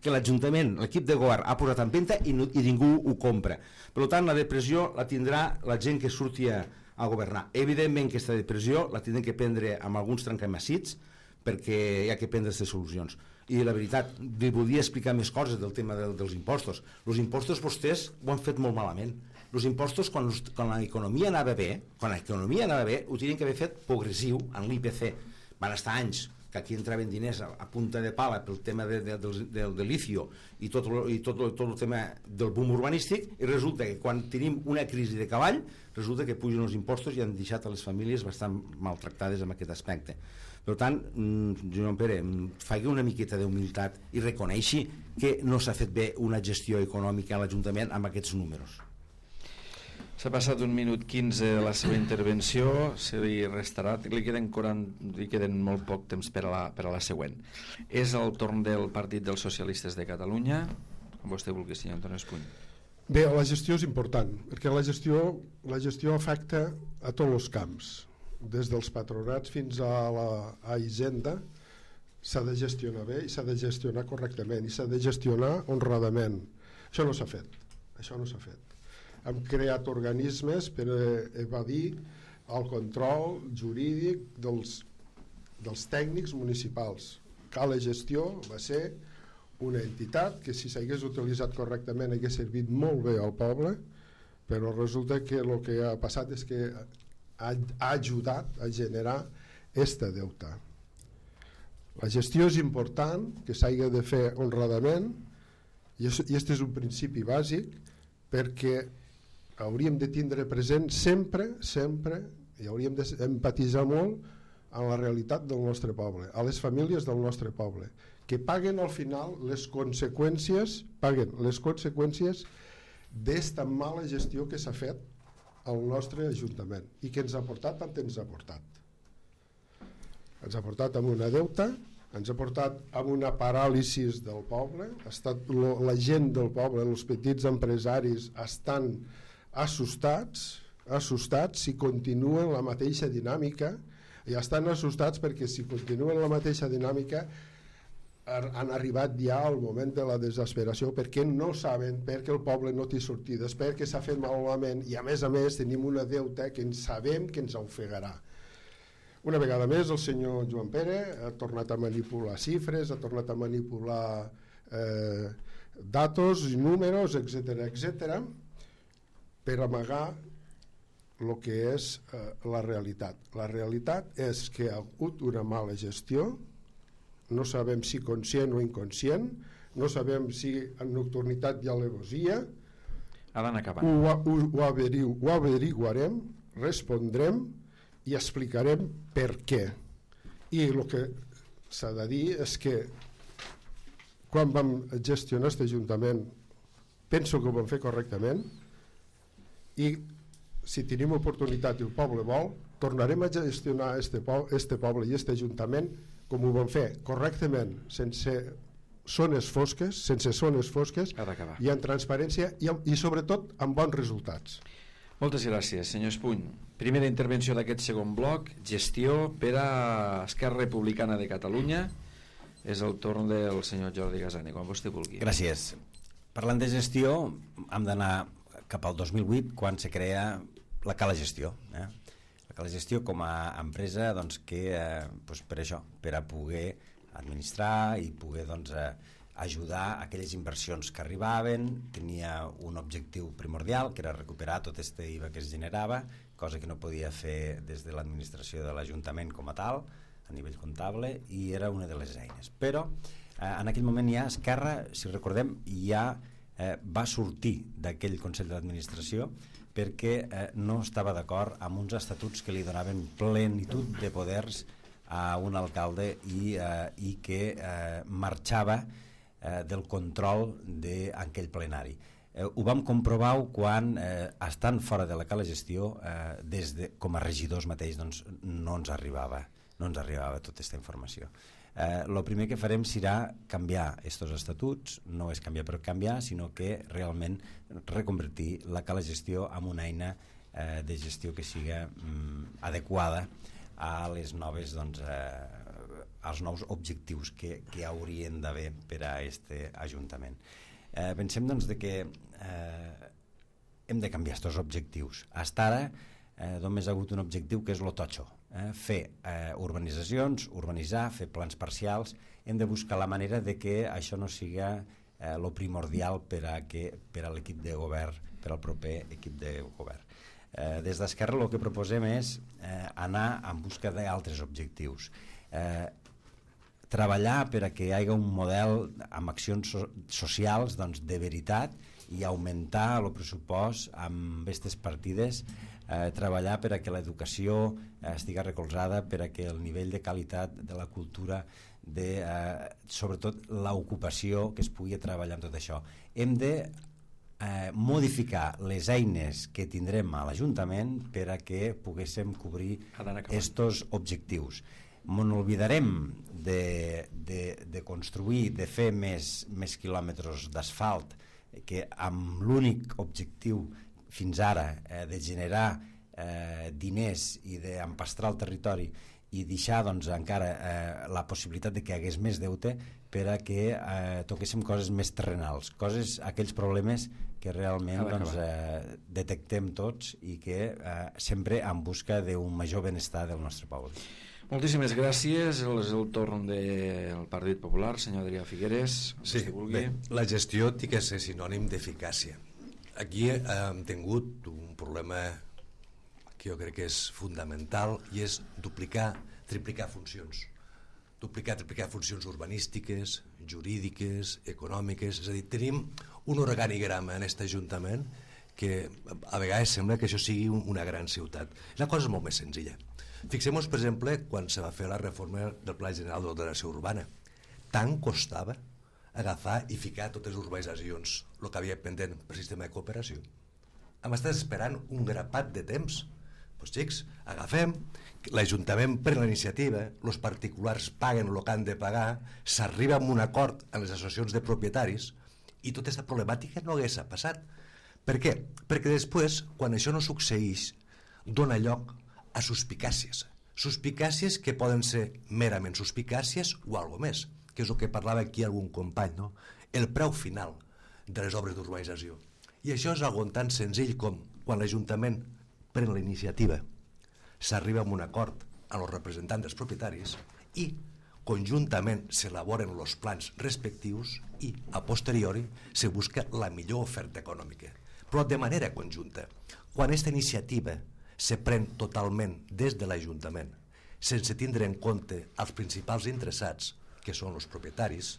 que l'Ajuntament, l'equip de govern ha posat en venda i ningú ho compra. Per tant, la depressió la tindrà la gent que surti a governar. Evidentment que aquesta depressió la tindrem que prendre amb alguns trencamassits, perquè hi ha que prendre aquestes solucions. I la veritat, li volia explicar més coses del tema dels impostos. Els impostos vostès ho han fet molt malament. Els impostos, quan l'economia anava bé, ho tenien que haver fet progressiu en l'IPC. Van estar anys que aquí entraven diners a punta de pala pel tema del licio i tot el tema del boom urbanístic, i resulta que quan tenim una crisi de cavall, resulta que pugen els impostos i han deixat a les famílies bastant maltractades en aquest aspecte. Per tant, Joan Pere, faci una miqueta d'humilitat i reconeixi que no s'ha fet bé una gestió econòmica a l'Ajuntament amb aquests números. S'ha passat 1 minut 15 de la seva intervenció, se li restarà, li queden molt poc temps per a la següent. És el torn del Partit dels Socialistes de Catalunya, com vostè vulgui, senyor Antoni Espuny. Bé, la gestió és important, perquè la gestió afecta a tots els camps, des dels patronats fins a la hisenda. S'ha de gestionar bé i s'ha de gestionar correctament i s'ha de gestionar honradament. Això no s'ha fet. Hem creat organismes per evadir el control jurídic dels tècnics municipals. Cala Gestió va ser una entitat que, si s'hagués utilitzat correctament, hagués servit molt bé al poble, però resulta que el que ha passat és que ha ajudat a generar este deute. La gestió és important, que s'hagi de fer honradament, i aquest és un principi bàsic, perquè hauríem de tindre present sempre, i hauríem d'empatitzar molt en la realitat del nostre poble, a les famílies del nostre poble, que paguen al final les conseqüències d'esta mala gestió que s'ha fet al nostre Ajuntament i que ens ha portat tant ens ha portat. Ens ha portat amb una deuta, ens ha portat amb una paràlisi del poble, la gent del poble, els petits empresaris estan assustats si continuen la mateixa dinàmica, i estan assustats perquè si continuen la mateixa dinàmica han arribat ja al moment de la desesperació, perquè no saben, perquè el poble no té sortides, perquè s'ha fet malament i a més tenim una deuta que sabem que ens ofegarà. Una vegada més el senyor Joan Pere ha tornat a manipular xifres, ha tornat a manipular datos i números, etc., per amagar el que és la realitat. La realitat és que ha hagut una mala gestió, no sabem si conscient o inconscient, no sabem si en nocturnitat hi ha alevosia. Ho averiguarem, respondrem i explicarem per què. I el que s'ha de dir és que quan vam gestionar aquest Ajuntament penso que ho vam fer correctament, i si tenim oportunitat i el poble vol, tornarem a gestionar este poble i este Ajuntament com ho vam fer, correctament, sense zones fosques i en transparència i sobretot amb bons resultats. Moltes gràcies, senyor Espuny. Primera intervenció d'aquest segon bloc, gestió per a Esquerra Republicana de Catalunya. És el torn del senyor Jordi Gasani, quan vostè vulgui. Gràcies. Parlant de gestió, hem d'anar cap al 2008, quan se crea la Cala Gestió. La Cala Gestió com a empresa que per això, per a poder administrar i poder ajudar aquelles inversions que arribaven. Tenia un objectiu primordial, que era recuperar tot aquest IVA que es generava, cosa que no podia fer des de l'administració de l'Ajuntament com a tal, a nivell comptable, i era una de les eines. Però en aquell moment ja Esquerra, si recordem, ja va sortir d'aquell Consell d'Administració perquè no estava d'acord amb uns estatuts que li donaven plenitud de poders a un alcalde i que marxava del control d'aquell plenari. Ho vam comprovar quan, estant fora de la Cala Gestió, com a regidors mateix, no ens arribava tota aquesta informació. El primer que farem serà canviar aquests estatuts, no és canviar per canviar, sinó que realment reconvertir la Cala Gestió en una eina de gestió que siga adequada a les noves, als nous objectius que haurien d'haver per a aquest Ajuntament. Pensem que hem de canviar aquests objectius. Fins ara només ha hagut un objectiu, que és lo totxo. fer urbanitzacions, urbanitzar, fer plans parcials. Hem de buscar la manera de que això no siga lo primordial per a l'equip de govern, per al proper equip de govern. Des d'Esquerra el que proposem és anar en busca d'altres objectius. Treballar per a que hi hagi un model amb accions socials de veritat i augmentar el pressupost amb aquestes partides, treballar per a que l'educació estigui recolzada, per a que el nivell de qualitat de la cultura, sobretot l'ocupació, que es pugui treballar amb tot això. Hem de modificar les eines que tindrem a l'Ajuntament per a que poguéssim cobrir estos objectius. M'oblidarem de construir, de fer més quilòmetres d'asfalt, que amb l'únic objectiu fins ara de generar diners i d'empastrar el territori i deixar encara la possibilitat de que hi hagués més deute per a que toquéssim coses més terrenals, aquells problemes que realment detectem tots i que sempre en busca d'un major benestar del nostre poble. Moltíssimes gràcies. És el torn del Partit Popular. Senyor Adrià Figueres, sí, bé, la gestió té que ser sinònim d'eficàcia. Aquí hem tingut un problema que jo crec que és fundamental i és triplicar funcions. Triplicar funcions urbanístiques, jurídiques, econòmiques. És a dir, tenim un organigrama en aquest Ajuntament que a vegades sembla que això sigui una gran ciutat. La cosa és molt més senzilla. Fixem-nos, per exemple, quan se va fer la reforma del Pla General d'Ordenació Urbana. Tant costava agafar i ficar totes les urbanitzacions, el que havia pendent per sistema de cooperació. Hem estat esperant un grapat de temps. Doncs xics, agafem, l'Ajuntament pren la iniciativa, els particulars paguen el que han de pagar, s'arriba a un acord amb les associacions de propietaris i tota aquesta problemàtica no hagués passat. Per què? Perquè després, quan això no succeeix, dona lloc a suspicàcies que poden ser merament suspicàcies o alguna més, que és el que parlava aquí algun company, no? El preu final de les obres d'urbanització. I això és algo tan senzill com quan l'Ajuntament pren la iniciativa, s'arriba a un acord amb els representants dels propietaris i conjuntament s'elaboren els plans respectius i a posteriori se busca la millor oferta econòmica, però de manera conjunta. Quan aquesta iniciativa se pren totalment des de l'Ajuntament, sense tindre en compte els principals interessats, que són els propietaris,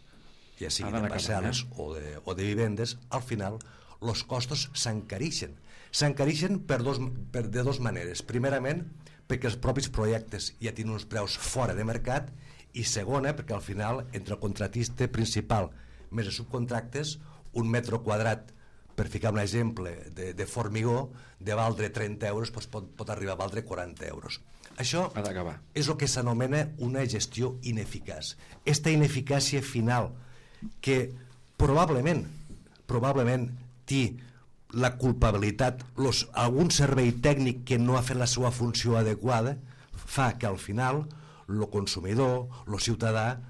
ja siguin de parcel·les o de vivendes, al final els costos s'encareixen. S'encareixen de dues maneres. Primerament, perquè els propis projectes ja tenen uns preus fora de mercat, i segona, perquè al final, entre el contratista principal més els subcontractes, un metre quadrat, per ficar un exemple, de formigó, de valdre 30 euros, doncs pot arribar a valdre 40 euros. Això és el que s'anomena una gestió ineficaç. Esta ineficàcia final, que probablement té la culpabilitat, algun servei tècnic que no ha fet la seva funció adequada, fa que al final el consumidor, el ciutadà,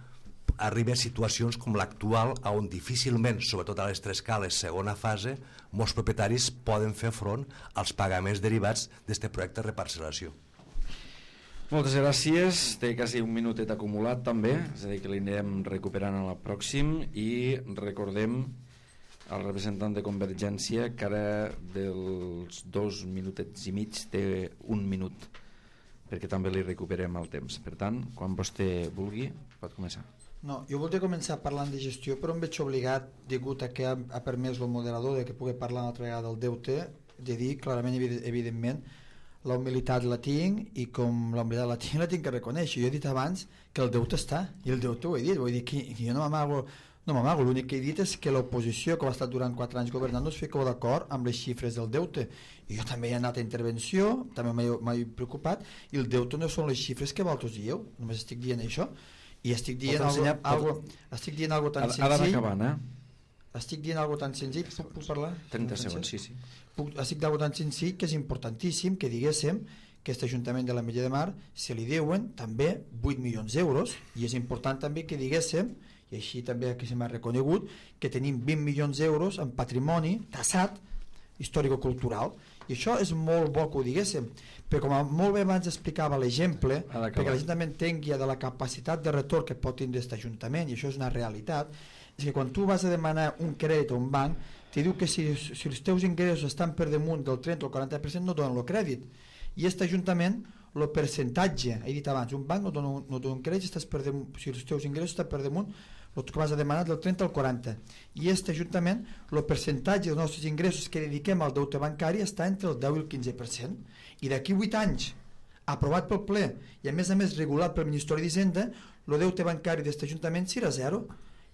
arriba a situacions com l'actual, on difícilment, sobretot a les 3 cales segona fase, molts propietaris poden fer front als pagaments derivats d'aquest projecte de reparcel·lació. Moltes gràcies. Té quasi un minutet acumulat també, és a dir que l'anirem recuperant a la pròxim, i recordem al representant de Convergència que ara dels 2 minutets i mig té 1 minut, perquè també li recuperem el temps. Per tant, quan vostè vulgui, pot començar. No, jo voldria començar parlant de gestió, però em veig obligat, degut a que ha permès el moderador de que pugui parlar una altra vegada del deute, de dir clarament, evidentment, la humilitat la tinc, i com la humilitat la tinc que reconèixer. Jo he dit abans que el deute està, i el deute ho he dit, vull dir que jo no m'amago, l'únic que he dit és que l'oposició, que ha estat durant 4 anys governant, no es fica d'acord amb les xifres del deute. I jo també he anat a intervenció, també m'he preocupat, i el deute no són les xifres que vosaltres dieu, només estic dient això. I estic dient algo tan senzill. Estic dient algo tan senzill, puc parlar? 30 segons, sí. Estic d'algo tan senzill que és importantíssim que diguéssim que aquest Ajuntament de l'Ametlla de Mar se li deuen també 8 milions d'euros, i és important també que diguéssim, i així també que se m'ha reconegut, que tenim 20 milions d'euros en patrimoni tassat històrico-cultural, i això és molt bo que ho diguéssim, però com molt bé abans explicava l'exemple, perquè la gent també entengui de la capacitat de retorn que pot tindre aquest ajuntament, i això és una realitat, és que quan tu vas a demanar un crèdit a un banc, te diu que si els teus ingressos estan per damunt del 30 o el 40% no donen el crèdit, i aquest ajuntament el percentatge, he dit abans, un banc no dona un crèdit si els teus ingressos estan per damunt el que vas a demanar del 30 al 40, i aquest ajuntament el percentatge dels nostres ingressos que dediquem al deute bancari està entre el 10 i el 15%, i d'aquí 8 anys aprovat pel ple i a més regulat pel Ministeri d'Hisenda, el deute bancari d'aquest ajuntament serà zero,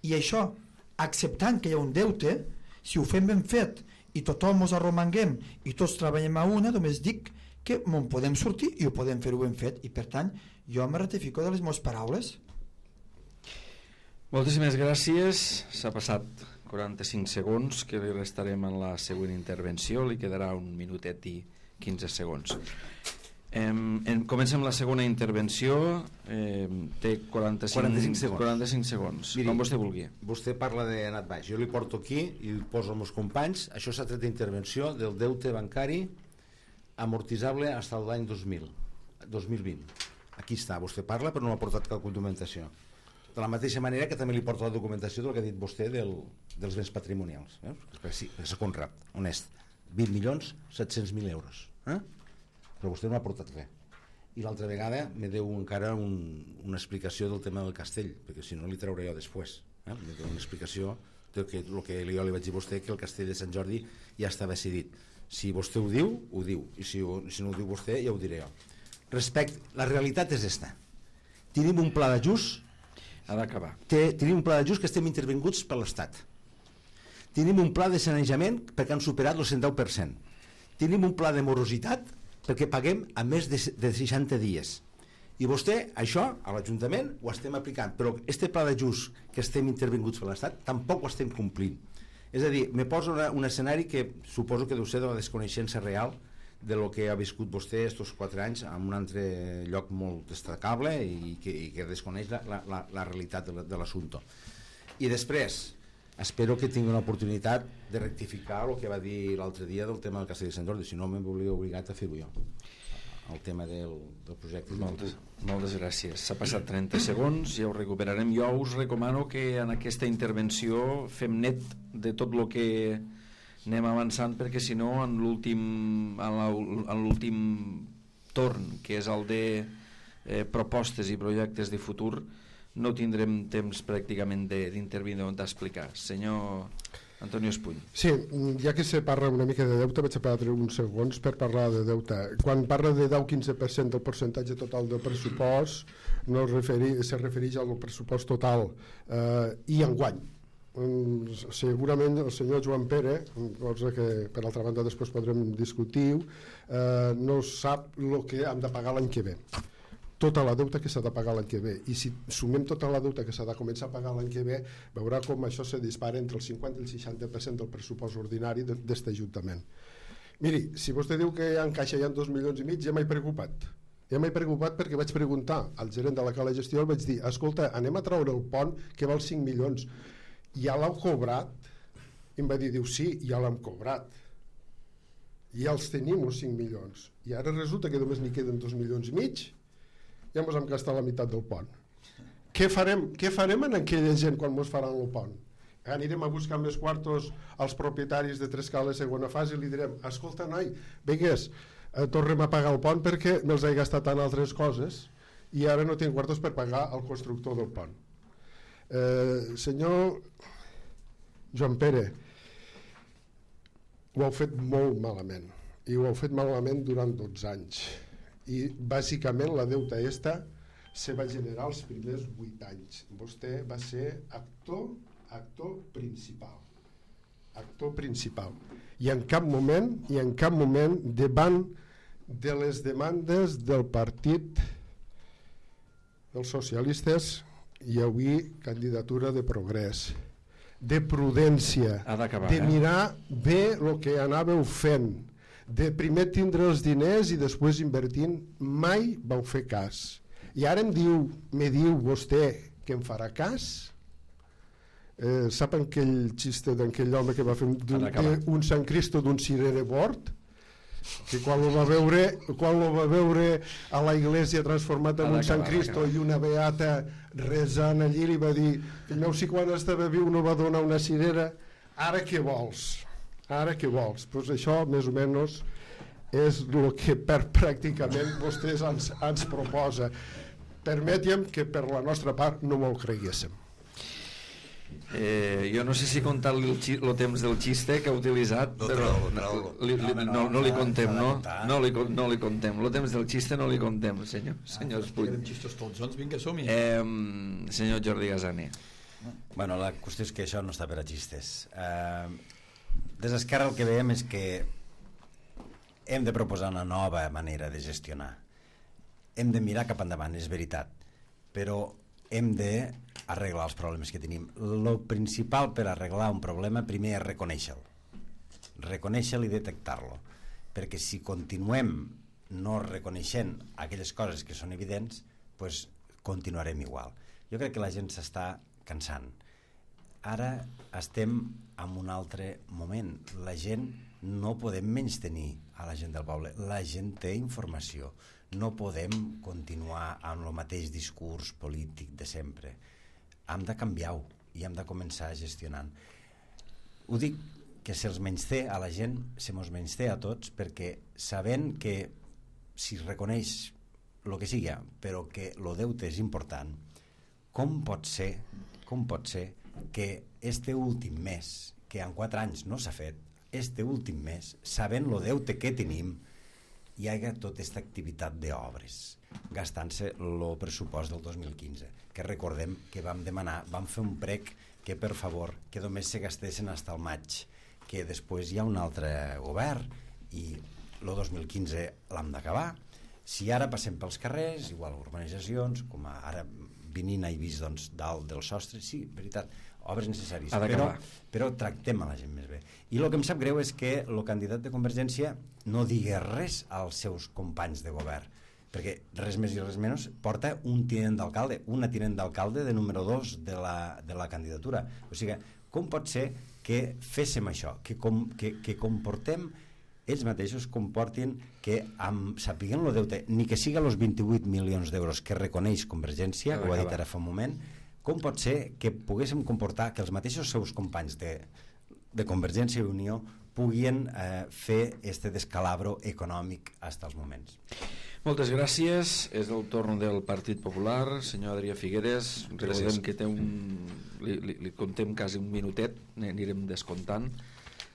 i això, acceptant que hi ha un deute, si ho fem ben fet i tothom ens arromanguem i tots treballem a una, només dic que en podem sortir i ho podem fer-ho ben fet, i per tant jo me ratifico de les meves paraules. Moltíssimes gràcies. S'ha passat 45 segons que li restarem en la següent intervenció, li quedarà un minutet i 15 segons. Comencem la segona intervenció, té 45 segons. Miri, com vostè vulgui. Vostè parla d'anat baix, jo li porto aquí i li poso als meus companys. Això s'ha tret d'intervenció del deute bancari amortitzable fins a l'any 2020. Aquí està, vostè parla però no m'ha portat cap documentació, de la mateixa manera que també li porto la documentació del que ha dit vostè dels béns patrimonials. Sí, és Conrad, honest, 20.700.000 euros, però vostè no ha portat res. I l'altra vegada me deu encara una explicació del tema del castell, perquè si no li trauré jo després. Me deu una explicació del que jo li vaig dir a vostè, que el castell de Sant Jordi ja estava decidit. Si vostè ho diu, i si no ho diu vostè ja ho diré jo. La realitat és esta. Tenim un pla d'ajust, ha d'acabar. Tenim un pla d'ajust que estem intervinguts per l'Estat. Tenim un pla de sanejament perquè han superat el 110%. Tenim un pla de morositat perquè paguem a més de 60 dies. I vostè, això, a l'Ajuntament, ho estem aplicant, però este pla d'ajust que estem intervinguts per l'Estat tampoc ho estem complint. És a dir, me posa un escenari que suposo que deu ser de la desconeixença real de lo que ha viscut vostè estos 4 anys en un altre lloc molt destacable i que desconeix la realitat de l'assumpte. I després, espero que tingui una oportunitat de rectificar el que va dir l'altre dia del tema del Castell de Sant Jordi, si no m'hauria obligat a fer-ho jo, el tema del projecte. Moltes gràcies. S'ha passat 30 segons, ja ho recuperarem. Jo us recomano que en aquesta intervenció fem net de tot el que anem avançant, perquè si no en l'últim torn, que és el de propostes i projectes de futur, no tindrem temps pràcticament d'intervenir o d'explicar. Senyor Antonio Espuny. Sí, ja que se parla una mica de deute, vaig a perdre uns segons per parlar de deute. Quan parla de 10-15% del percentatge total del pressupost, no se refereix al pressupost total i enguany. Segurament el senyor Joan Pere, cosa que per altra banda després podrem discutir, no sap el que hem de pagar l'any que ve, tota la deuta que s'ha de pagar l'any que ve, i si sumem tota la deuta que s'ha de començar a pagar l'any que ve, veurà com això se dispara entre el 50 i el 60% del pressupost ordinari d'aquest Ajuntament. Miri, si vostè diu que en caixa hi ha 2,5 milions, ja m'he preocupat. Ja m'he preocupat perquè vaig preguntar al gerent de la Cala Gestió, el vaig dir, escolta, anem a treure el pont que val 5 milions. Ja l'heu cobrat? I em va dir, diu, sí, ja l'hem cobrat. Ja els tenim, els 5 milions. I ara resulta que només n'hi queden 2,5 milions. Ja ens hem gastat la meitat del pont. Què farem en aquella gent quan ens faran el pont? Anirem a buscar més quartos als propietaris de Trescales segona fase i li direm, escolta, noi, vingues, tornem a pagar el pont perquè me'ls he gastat en altres coses i ara no tinc quartos per pagar al constructor del pont. Senyor Joan Pere, ho heu fet molt malament, i ho heu fet malament durant 12 anys, i bàsicament la deuta esta se va generar els primers 8 anys. Vostè va ser actor principal, i en cap moment davant de les demandes del partit dels socialistes hi havia candidatura de progrés, de prudència, de mirar bé el que anàveu fent, de primer tindre els diners i després invertint. Mai vau fer cas, i ara me diu vostè que em farà cas. Saben aquell xiste d'aquell home que va fer un Sant Cristo d'un cirer de bord? Que quan lo va veure a la iglesia transformat en un Sant Cristo i una beata resant allí, li va dir: fill meu, si quan estava viu no va donar una cirera, ara què vols? Pues això més o menys és el que pràcticament vostès ens proposa. Permeti'm que per la nostra part no m'ho creguéssim. Jo no sé si contar-li el temps del xiste que ha utilitzat, però no li contem, no li contem. El temps del xiste no li contem, senyor Espull. Xistos tots, doncs vinga, som-hi. Senyor Jordi Gazaner. Bueno, la qüestió és que això no està per a xistes. Des d'Esquerra el que veiem és que hem de proposar una nova manera de gestionar. Hem de mirar cap endavant, és veritat, però hem d'arreglar els problemes que tenim. El principal per arreglar un problema primer és reconèixer-lo i detectar-lo, perquè si continuem no reconeixent aquelles coses que són evidents, doncs continuarem igual. Jo crec que la gent s'està cansant. Ara estem en un altre moment. La gent no podem menystenir a la gent del poble. La gent té informació. No podem continuar amb el mateix discurs polític de sempre. Hem de canviar-ho i hem de començar gestionant. Ho dic que se'ls menysté a la gent, se mos menysté a tots, perquè sabent que si reconeix el que sigui, però que el deute és important, com pot ser que este últim mes, que en 4 anys no s'ha fet, este últim mes, sabent el deute que tenim, hi ha tota aquesta activitat d'obres, gastant-se el pressupost del 2015, que recordem que vam fer un prec que per favor, que només se gastessin fins al maig, que després hi ha un altre govern i el 2015 l'hem d'acabar. Si ara passem pels carrers, igual urbanitzacions, com ara Vinina i vist dalt del sostre, sí, veritat, obres necessàries, però tractem a la gent més bé. I el que em sap greu és que el candidat de Convergència no digui res als seus companys de govern, perquè res més i res menys porta una tinent d'alcalde de número 2 de la candidatura. O sigui, com pot ser que féssim això, que comportem ells mateixos comportin que sapiguem el deute, ni que siga els 28 milions d'euros que reconeix Convergència, ho ha dit ara fa un moment, com pot ser que poguéssim comportar que els mateixos seus companys de Convergència i Unió puguin fer este descalabro econòmic fins als moments. Moltes gràcies. És el torn del Partit Popular. Senyor Adrià Figueres, recordem que té li contem quasi un minutet, anirem descomptant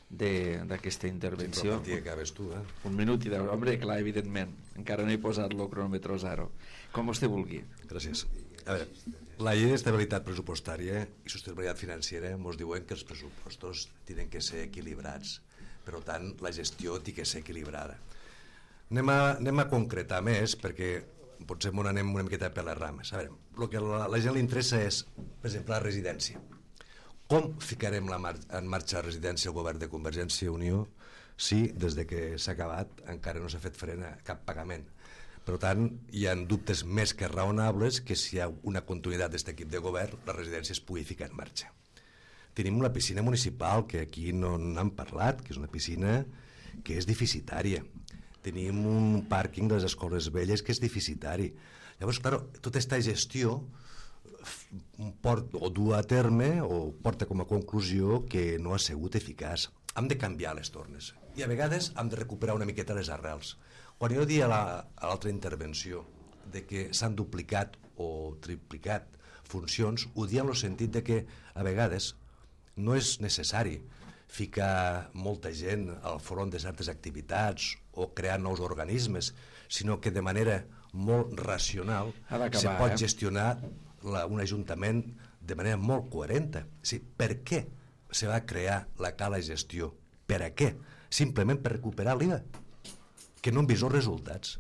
d'aquesta intervenció. Sí, que acabes tu, un minut i 10, home, clar, evidentment encara no he posat el cronòmetre 0, com vostè vulgui. Gràcies. A veure, la llei d'estabilitat pressupostària i sostenibilitat financera ens diuen que els pressupostos tenen que ser equilibrats, per tant la gestió té que ser equilibrada. Anem a concretar més, perquè potser anem una miqueta per les rames. A veure, el que a la gent li interessa és, per exemple, la residència. Com ficarem en marxa la residència al govern de Convergència i Unió si des de que s'ha acabat encara no s'ha fet front a cap pagament? Per tant, hi ha dubtes més que raonables que si hi ha una continuïtat d'aquest equip de govern la residència es pugui ficar en marxa. Tenim una piscina municipal que aquí no n'hem parlat, que és una piscina que és deficitària. Tenim un pàrquing de les escoles velles que és deficitari. Llavors, clar, tota aquesta gestió du a terme o porta com a conclusió que no ha sigut eficaç. Hem de canviar les tornes i a vegades hem de recuperar una miqueta les arrels. Quan jo dia a l'altra intervenció de que s'han duplicat o triplicat funcions, ho dia en el sentit de que a vegades no és necessari ficar molta gent al front de certes activitats o crear nous organismes, sinó que de manera molt racional se pot gestionar un ajuntament de manera molt coherent. Per què se va crear la cala gestió? Per a què? Simplement per recuperar l'IVA, que no hem vist els resultats,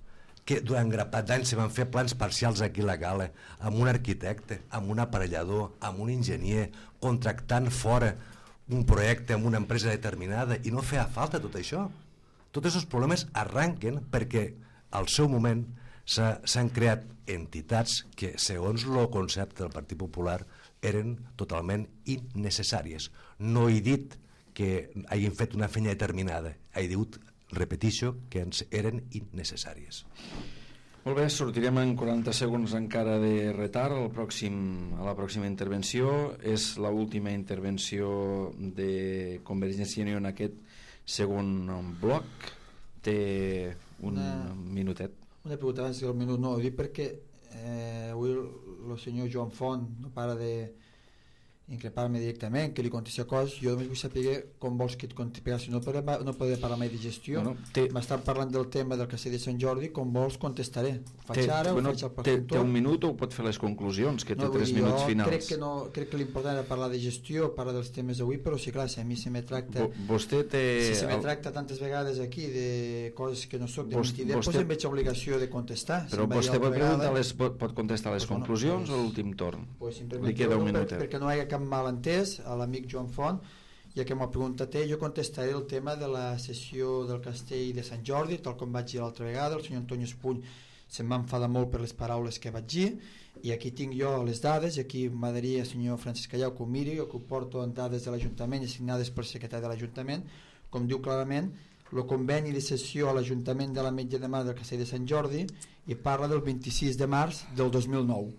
que durant grapat d'anys se van fer plans parcials aquí a la cala, amb un arquitecte, amb un aparellador, amb un enginyer, contractant fora un projecte amb una empresa determinada, i no feia falta tot això. Tots aquests problemes arranquen perquè al seu moment s'han creat entitats que, segons el concepte del Partit Popular, eren totalment innecessàries. No he dit que hagin fet una feina determinada, he dit, repeteixo, que eren innecessàries. Molt bé, sortirem en 40 segons encara de retard a la pròxima intervenció. És l'última intervenció de Convergència i Unió en aquest segon bloc. Té un minutet. Una pregunta abans del minut, no, ho dic perquè avui el senyor Joan Font no para de increpar-me directament, que li contesti coses. Jo només vull saber com vols que et contesti, si no podré parlar mai de gestió. M'estan parlant del tema del Castell de Sant Jordi, com vols contestaré. Ho faig ara, ho faig al progenitor. Té un minut o pot fer les conclusions, que té 3 minuts finals. Crec que l'important era parlar de gestió, parlar dels temes d'avui, però sí, clar, si a mi se me tracta tantes vegades aquí de coses que no soc de mentider, doncs em veig obligació de contestar. Però vostè pot contestar les conclusions o l'últim torn? Li queda un minutet. Perquè no hi ha cap malentès a l'amic Joan Font, ja que m'ha preguntat jo contestaré el tema de la sessió del Castell de Sant Jordi, tal com vaig dir l'altra vegada. El senyor Antonio Espuny se'm va enfadar molt per les paraules que vaig dir, i aquí tinc jo les dades, i aquí m'agradaria, senyor Francesc Callau, que ho miri, que ho porto en dades de l'Ajuntament i signades pel secretari de l'Ajuntament, com diu clarament el conveni de sessió a l'Ajuntament de l'Ametlla de Mar del Castell de Sant Jordi, i parla del 26 de març del 2009.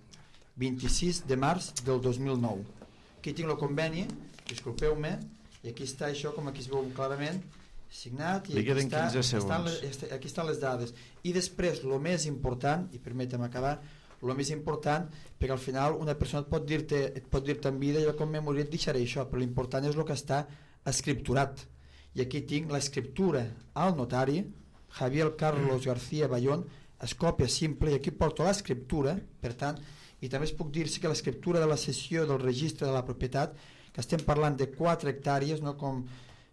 26 de març del 2009. Aquí tinc el conveni, disculpeu-me, i aquí està això, com aquí es veu clarament, signat, i aquí estan les dades. I després, el més important, i permetem acabar, el més important, perquè al final una persona et pot dir-te en vida, jo com me moriré et deixaré això, però l'important és el que està escripturat. I aquí tinc l'escriptura al notari, Javier Carlos García Bayón, es còpia simple, i aquí porto l'escriptura, per tant, i també es puc dir-se que l'escriptura de la cessió del registre de la propietat, que estem parlant de 4 hectàrees, no com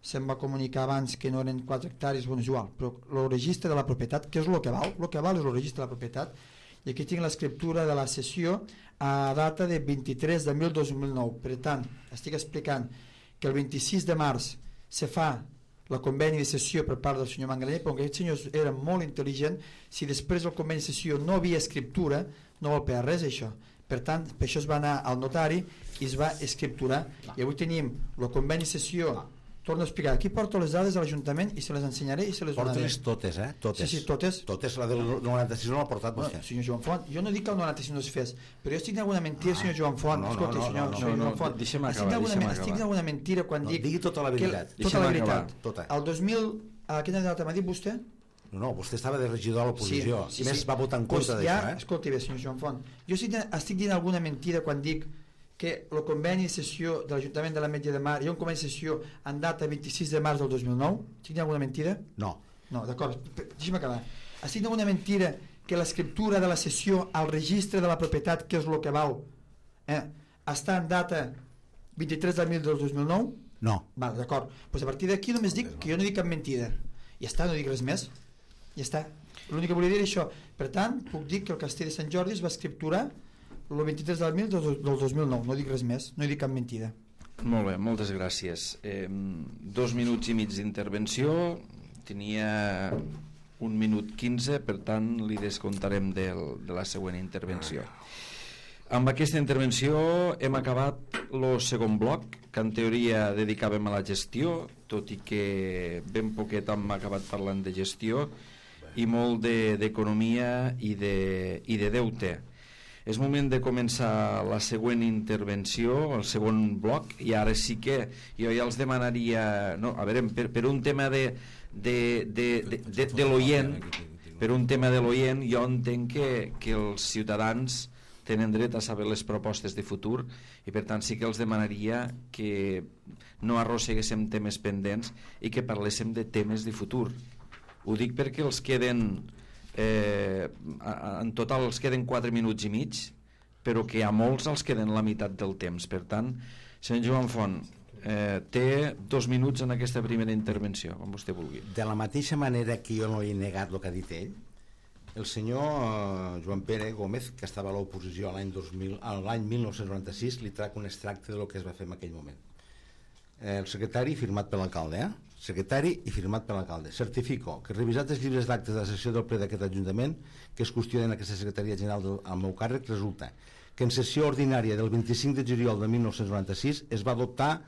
se'm va comunicar abans que no eren 4 hectàrees, bueno, és igual, però el registre de la propietat, què és el que val? El que val és el registre de la propietat, i aquí tinc l'escriptura de la cessió a data de 23 de 2009. Per tant, estic explicant que el 26 de març se fa la conveni de sessió per part del senyor Mangaler, però aquest senyor era molt intel·ligent. Si després del conveni de sessió no havia escriptura, no vol per res això. Per tant, per això es va anar al notari i es va escripturar, i avui tenim el conveni de sessió. Torno a explicar, aquí porto les dades de l'Ajuntament i se les ensenyaré i se les donaré. Portes totes, totes. Sí, totes. Totes, la del 96 no l'ha portat vostè. Senyor Joan Font, jo no dic que el 96 no es fes, però jo estic d'alguna mentira, senyor Joan Font. Escolti, senyor Joan Font, estic d'alguna mentira quan dic... Digui tota la veritat. Tota la veritat. El 2000, a quina data m'ha dit vostè? No, vostè estava de regidor a l'oposició. Sí, més va votar en contra d'això. Escolti bé, senyor Joan Font, jo estic dient alguna mentida quan dic que el conveni de sessió de l'Ajuntament de l'Ametlla de Mar hi ha un conveni de sessió en data 26 de març del 2009? Estic dient alguna mentida? No. No, d'acord, deixa'm acabar. Estic dient alguna mentida que l'escriptura de la sessió al registre de la propietat, que és el que val, està en data 23 de 2009? No. Val, d'acord. Pues a partir d'aquí només dic que jo no dic cap mentida. Ja està, no dic res més. Ja està. L'únic que volia dir és això. Per tant, puc dir que el Castell de Sant Jordi es va escripturar el 23 del 2009, no dic res més, no dic cap mentida. Molt bé, moltes gràcies. 2 minuts i mig d'intervenció, tenia 1 minut 15, per tant li descomptarem de la següent intervenció. Amb aquesta intervenció hem acabat el segon bloc, que en teoria dedicàvem a la gestió, tot i que ben poquet hem acabat parlant de gestió i molt d'economia i de deute. És moment de començar la següent intervenció, el segon bloc, i ara sí que jo ja els demanaria, no, a veure, per un tema de l'oient, per un tema de l'oient, jo entenc que els ciutadans tenen dret a saber les propostes de futur, i per tant sí que els demanaria que no arrosseguéssim temes pendents i que parléssim de temes de futur. Ho dic perquè els queden en total els queden 4 minuts i mig, però que a molts els queden la meitat del temps. Per tant, senyor Joan Font, té 2 minuts en aquesta primera intervenció, com vostè vulgui. De la mateixa manera que jo no he negat el que ha dit ell, el senyor Joan Pere Gómez, que estava a l'oposició l'any 1996, li trac un extracte del que es va fer en aquell moment. El secretari firmat per l'alcalde, secretari i firmat per l'alcalde. Certifico que revisat els llibres d'actes de la sessió del ple d'aquest Ajuntament que es qüestionen en aquesta secretaria general al meu càrrec, resulta que en sessió ordinària del 25 de juliol de 1996 es va adoptar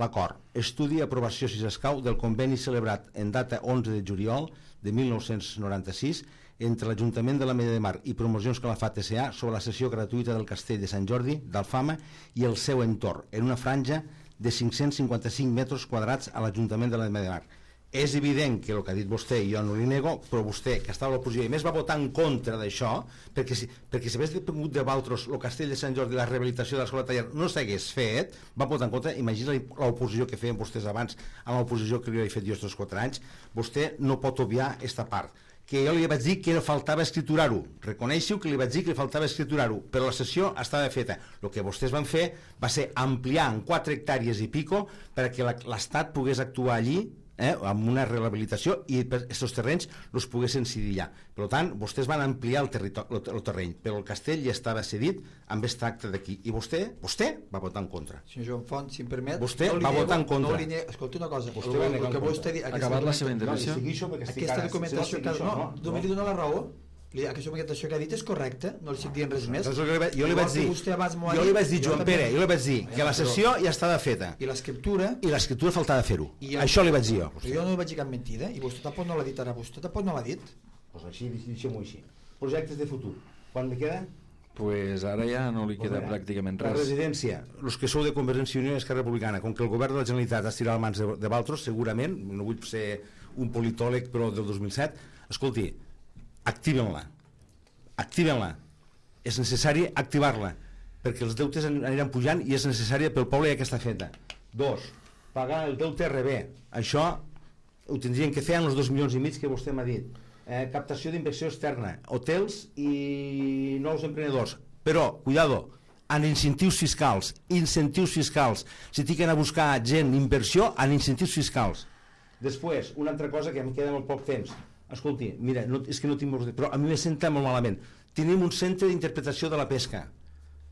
l'acord, estudi i aprovació, si s'escau, del conveni celebrat en data 11 de juliol de 1996 entre l'Ajuntament de l'Ametlla de Mar i Promocions Calafat S.A. sobre la cessió gratuïta del castell de Sant Jordi d'Alfama i el seu entorn, en una franja de 555 metres quadrats a l'Ajuntament de l'Ametlla de Mar. És evident que el que ha dit vostè, jo no li nego, però vostè, que estava a l'oposició i més va votar en contra d'això, perquè si hagués depengut de Valtros el castell de Sant Jordi i la rehabilitació de l'escola taller no s'hagués fet, va votar en contra. Imagina l'oposició que feien vostès abans amb l'oposició que li he fet jo aquests 4 anys. Vostè no pot obviar aquesta part, que jo li vaig dir que faltava escriturar-ho. Reconeixo que li vaig dir que li faltava escriturar-ho, però la sessió estava feta. El que vostès van fer va ser ampliar en 4 hectàrees i pico perquè l'Estat pogués actuar allí amb una rehabilitació i aquests terrenys els poguessin cedir allà. Per tant, vostès van ampliar el terreny, però el castell ja estava cedit amb aquest tracte d'aquí. I vostè va votar en contra. Senyor Joan Font, si em permet... Vostè va votar en contra. Escolti una cosa. Vostè va negar en contra. Acabat la seva intervenció. Aquesta documentació... No, només li dona la raó. Aquesta documentació que ha dit és correcta, no li estic dient res més. Jo li vaig dir, Joan Pere, que la sessió ja estava feta. I l'escriptura... I l'escriptura faltava fer-ho. Això li vaig dir jo. Jo no li vaig dir cap mentida, i vostè tampoc no l'ha dit ara. Vostè tampoc no l'ha dit. Doncs així, deixem-ho així. Projectes de futur. Quan me queda? Pues ara ja no li queda pràcticament res. La residència, els que sou de Convergència i Unió i Esquerra Republicana, com que el govern de la Generalitat ha estirat les mans de Valtros, segurament, no vull ser un politòleg, però del 2007, escolti, activen-la, és necessari activar-la perquè els deutes aniran pujant i és necessària pel poble ja que està feta. 2, pagar el deute RB, això ho tindrien que fer amb els 2,5 milions que vostè m'ha dit. Captació d'inversió externa, hotels i nous emprenedors, però, cuidado, en incentius fiscals, si tiquen a buscar gent, inversió, en incentius fiscals. Després, una altra cosa que em queda molt poc temps. Escolti, mira, és que no tinc molt... Però a mi me senta molt malament. Tenim un centre d'interpretació de la pesca.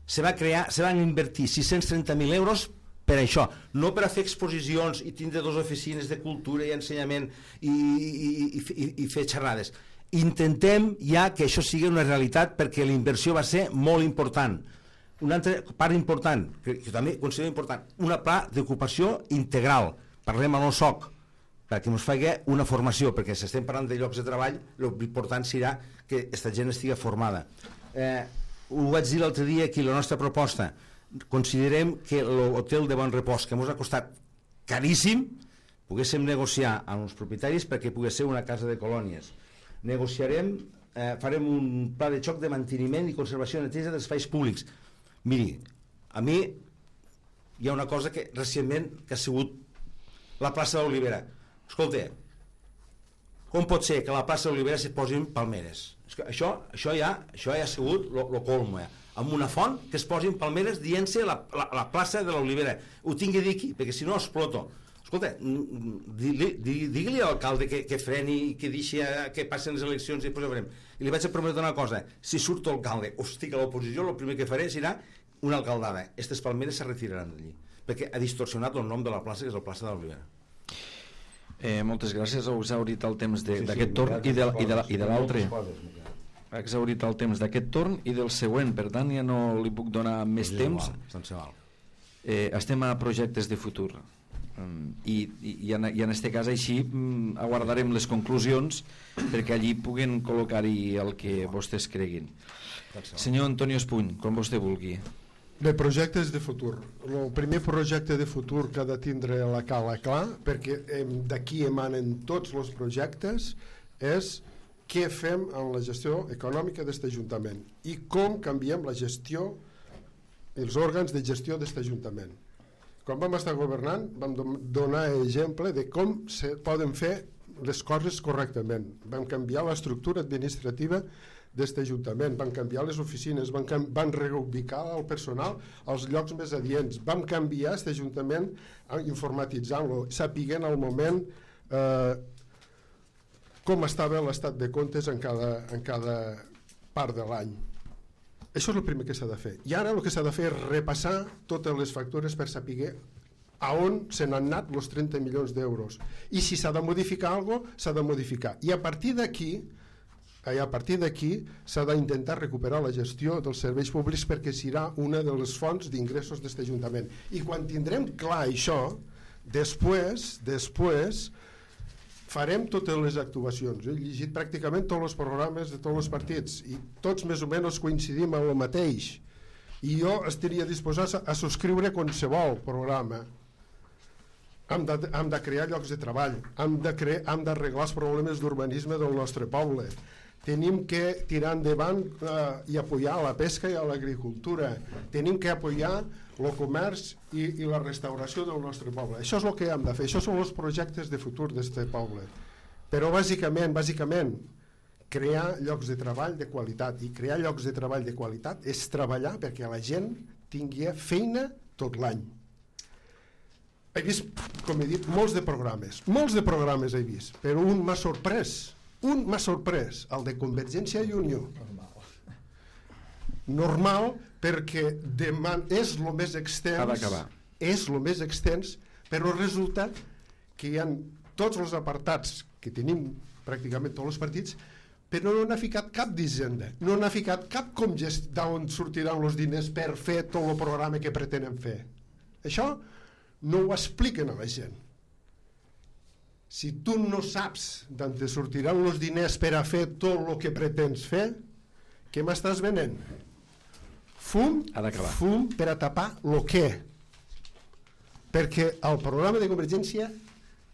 Se van invertir 630.000 euros per això, no per a fer exposicions i tindre 2 oficines de cultura i ensenyament i fer xerrades. Intentem ja que això sigui una realitat perquè la inversió va ser molt important. Una altra part important, que també considero important, una pla d'ocupació integral. Parlem a l'OSOC, perquè ens faci una formació, perquè si estem parlant de llocs de treball, l'important serà que aquesta gent estigui formada. Ho vaig dir l'altre dia aquí, la nostra proposta, considerem que l'hotel de Bon Repòs, que ens ha costat caríssim, poguéssim negociar amb els propietaris perquè pogués ser una casa de colònies. Negociarem, farem un pla de xoc de manteniment i conservació i neteja dels espais públics. Miri, a mi hi ha una cosa que recentment que ha sigut la plaça d'Olivera. Escolta, com pot ser que a la plaça d'Olivera s'hi posin palmeres? Això ja ha sigut el colmo, amb una font que es posin palmeres dient-se la plaça de l'Olivera. Ho tingui a dir aquí, perquè si no exploto. Escolta, digui-li a l'alcalde que freni i que deixi que passen les eleccions i després ho farem. I li vaig a prometre una cosa, si surto alcalde o estic a l'oposició, el primer que faré serà una alcaldada. Aquestes palmeres se retiraran d'allí, perquè ha distorsionat el nom de la plaça, que és la plaça de l'Olivera. Moltes gràcies, heu exhaurit el temps d'aquest torn i de l'altre. Ha exhaurit el temps d'aquest torn i del següent, per tant ja no li puc donar més temps. Estem a projectes de futur i en aquest cas així aguardarem les conclusions perquè allí puguen col·locar-hi el que vostès creguin. Senyor Antonio Espuny, com vostè vulgui. De projectes de futur. El primer projecte de futur que ha de tindre la Cala clar, perquè d'aquí emanen tots els projectes, és què fem amb la gestió econòmica d'aquest Ajuntament i com canviem la gestió, els òrgans de gestió d'aquest Ajuntament. Quan vam estar governant vam donar exemple de com se poden fer les coses correctament. Vam canviar l'estructura administrativa d'aquest Ajuntament, van canviar les oficines, van reubicar el personal als llocs més adients, vam canviar aquest Ajuntament informatitzant-lo, sapiguent al moment com estava l'estat de comptes en cada part de l'any. Això és el primer que s'ha de fer. I ara el que s'ha de fer és repassar totes les factures per saber a on se n'han anat els 30 milions d'euros. I si s'ha de modificar alguna cosa, s'ha de modificar. I a partir d'aquí a partir d'aquí s'ha d'intentar recuperar la gestió dels serveis públics, perquè serà una de les fonts d'ingressos d'aquest Ajuntament. I quan tindrem clar això, després farem totes les actuacions. He llegit pràcticament tots els programes de tots els partits i tots més o menys coincidim en el mateix, i jo estaria disposat a subscriure qualsevol programa. Hem de crear llocs de treball, hem d'arreglar els problemes d'urbanisme del nostre poble, tenim que tirar endavant i apoyar la pesca i l'agricultura, tenim que apoyar el comerç i la restauració del nostre poble. Això és el que hem de fer, això són els projectes de futur d'aquest poble. Però bàsicament, crear llocs de treball de qualitat, i crear llocs de treball de qualitat és treballar perquè la gent tingui feina tot l'any. He vist, com he dit, molts de programes he vist, però un m'ha sorprès, el de Convergència i Unió. Normal, perquè és el més extens, però resulta que hi ha tots els apartats que tenim pràcticament tots els partits, però no n'ha ficat cap d'Hisenda, no n'ha ficat cap d'on sortiran els diners per fer tot el programa que pretenen fer. Això no ho expliquen a la gent. Si tu no saps d'on te sortiran els diners per a fer tot el que pretens fer, què m'estàs venent? Fum per a tapar el què. Perquè el programa de Convergència,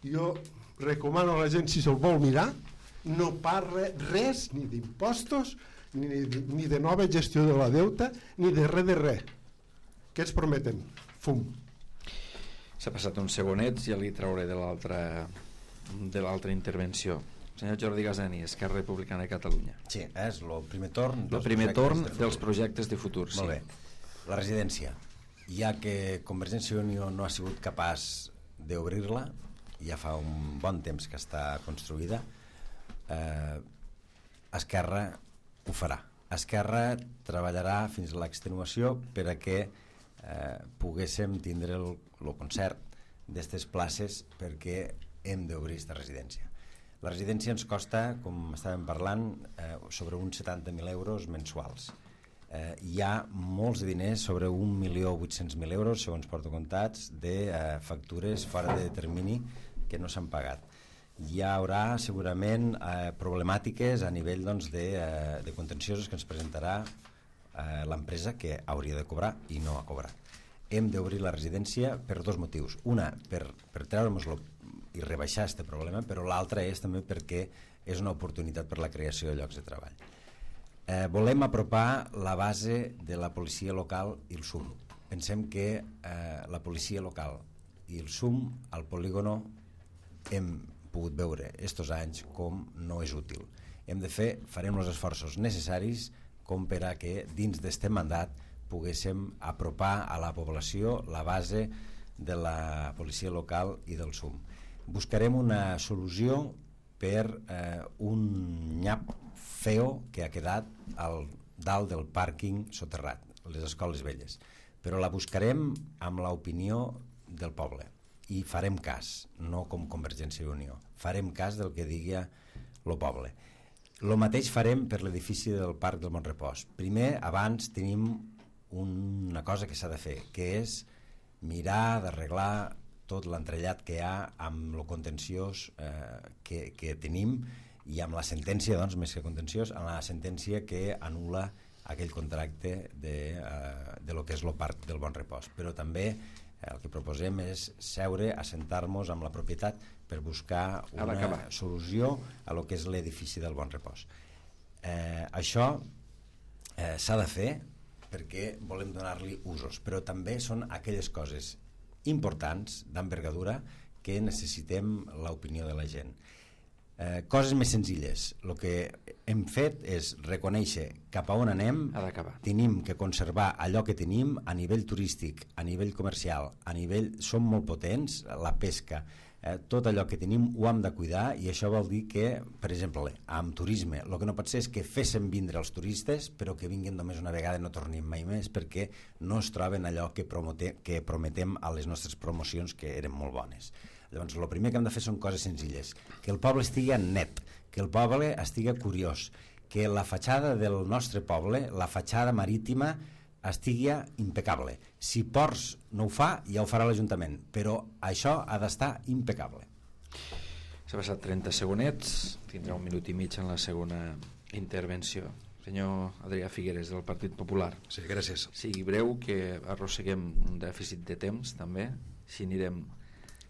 jo recomano a la gent, si se'l vol mirar, no parla res ni d'impostos, ni de nova gestió de la deuta, ni de res. Què ens prometen? Fum. S'ha passat uns segonets, ja li trauré de l'altra intervenció. Senyor Jordi Gasani, Esquerra Republicana de Catalunya. Sí, és el primer torn dels projectes de futur. Molt bé. La residència, ja que Convergència i Unió no ha sigut capaç d'obrir-la, ja fa un bon temps que està construïda, Esquerra ho farà. Esquerra treballarà fins a l'extenuació per a que poguéssim tindre el concert d'aquestes places, perquè hem d'obrir aquesta residència. La residència ens costa, com estàvem parlant, sobre uns 70.000 euros mensuals. Hi ha molts diners, sobre 1.800.000 euros, segons porto comptats, de factures fora de termini que no s'han pagat. Hi haurà segurament problemàtiques a nivell de contenciosos que ens presentarà l'empresa, que hauria de cobrar i no ha cobrat. Hem d'obrir la residència per dos motius. Una, per treure-nos-lo i rebaixar aquest problema, però l'altra és també perquè és una oportunitat per la creació de llocs de treball. Volem apropar la base de la policia local i el SUM. Pensem que la policia local i el SUM al polígono hem pogut veure estos anys com no és útil. Farem els esforços necessaris com per a que dins d'este mandat poguéssim apropar a la població la base de la policia local i del SUM. Buscarem una solució per un nyap feo que ha quedat dalt del pàrquing soterrat, les escoles velles, però la buscarem amb l'opinió del poble i farem cas, no com Convergència i Unió, farem cas del que digui el poble. El mateix farem per l'edifici del Parc del Bonrepòs. Primer, abans tenim una cosa que s'ha de fer, que és mirar d'arreglar tot l'entrellat que hi ha amb el contenciós que tenim, i amb la sentència, doncs, més que contenciós, amb la sentència que anul·la aquell contracte de lo que és el Parc del Bonrepòs. Però també el que proposem és seure, assentar-nos amb la propietat per buscar una solució a lo que és l'edifici del Bonrepòs. Això s'ha de fer perquè volem donar-li usos, però també són aquelles coses importants, d'envergadura, que necessitem l'opinió de la gent. Coses més senzilles. El que hem fet és reconèixer cap a on anem. Tenim que conservar allò que tenim a nivell turístic, a nivell comercial, som molt potents, la pesca, tot allò que tenim ho hem de cuidar, i això vol dir que, per exemple, amb turisme, el que no pot ser és que féssim vindre els turistes però que vinguin només una vegada i no tornin mai més, perquè no es troben allò que prometem a les nostres promocions, que eren molt bones. Llavors, el primer que hem de fer són coses senzilles, que el poble estigui net, que el poble estigui curiós, que la fatxada del nostre poble, la fatxada marítima, estigui impecable. Si Ports no ho fa, ja ho farà l'Ajuntament, però això ha d'estar impecable. S'ha passat 30 segonets, tindrà 1 minut i mig en la segona intervenció. Senyor Adrià Figueres, del Partit Popular. Sí, gràcies. Sigui breu, que arrosseguem un dèficit de temps, també, si anirem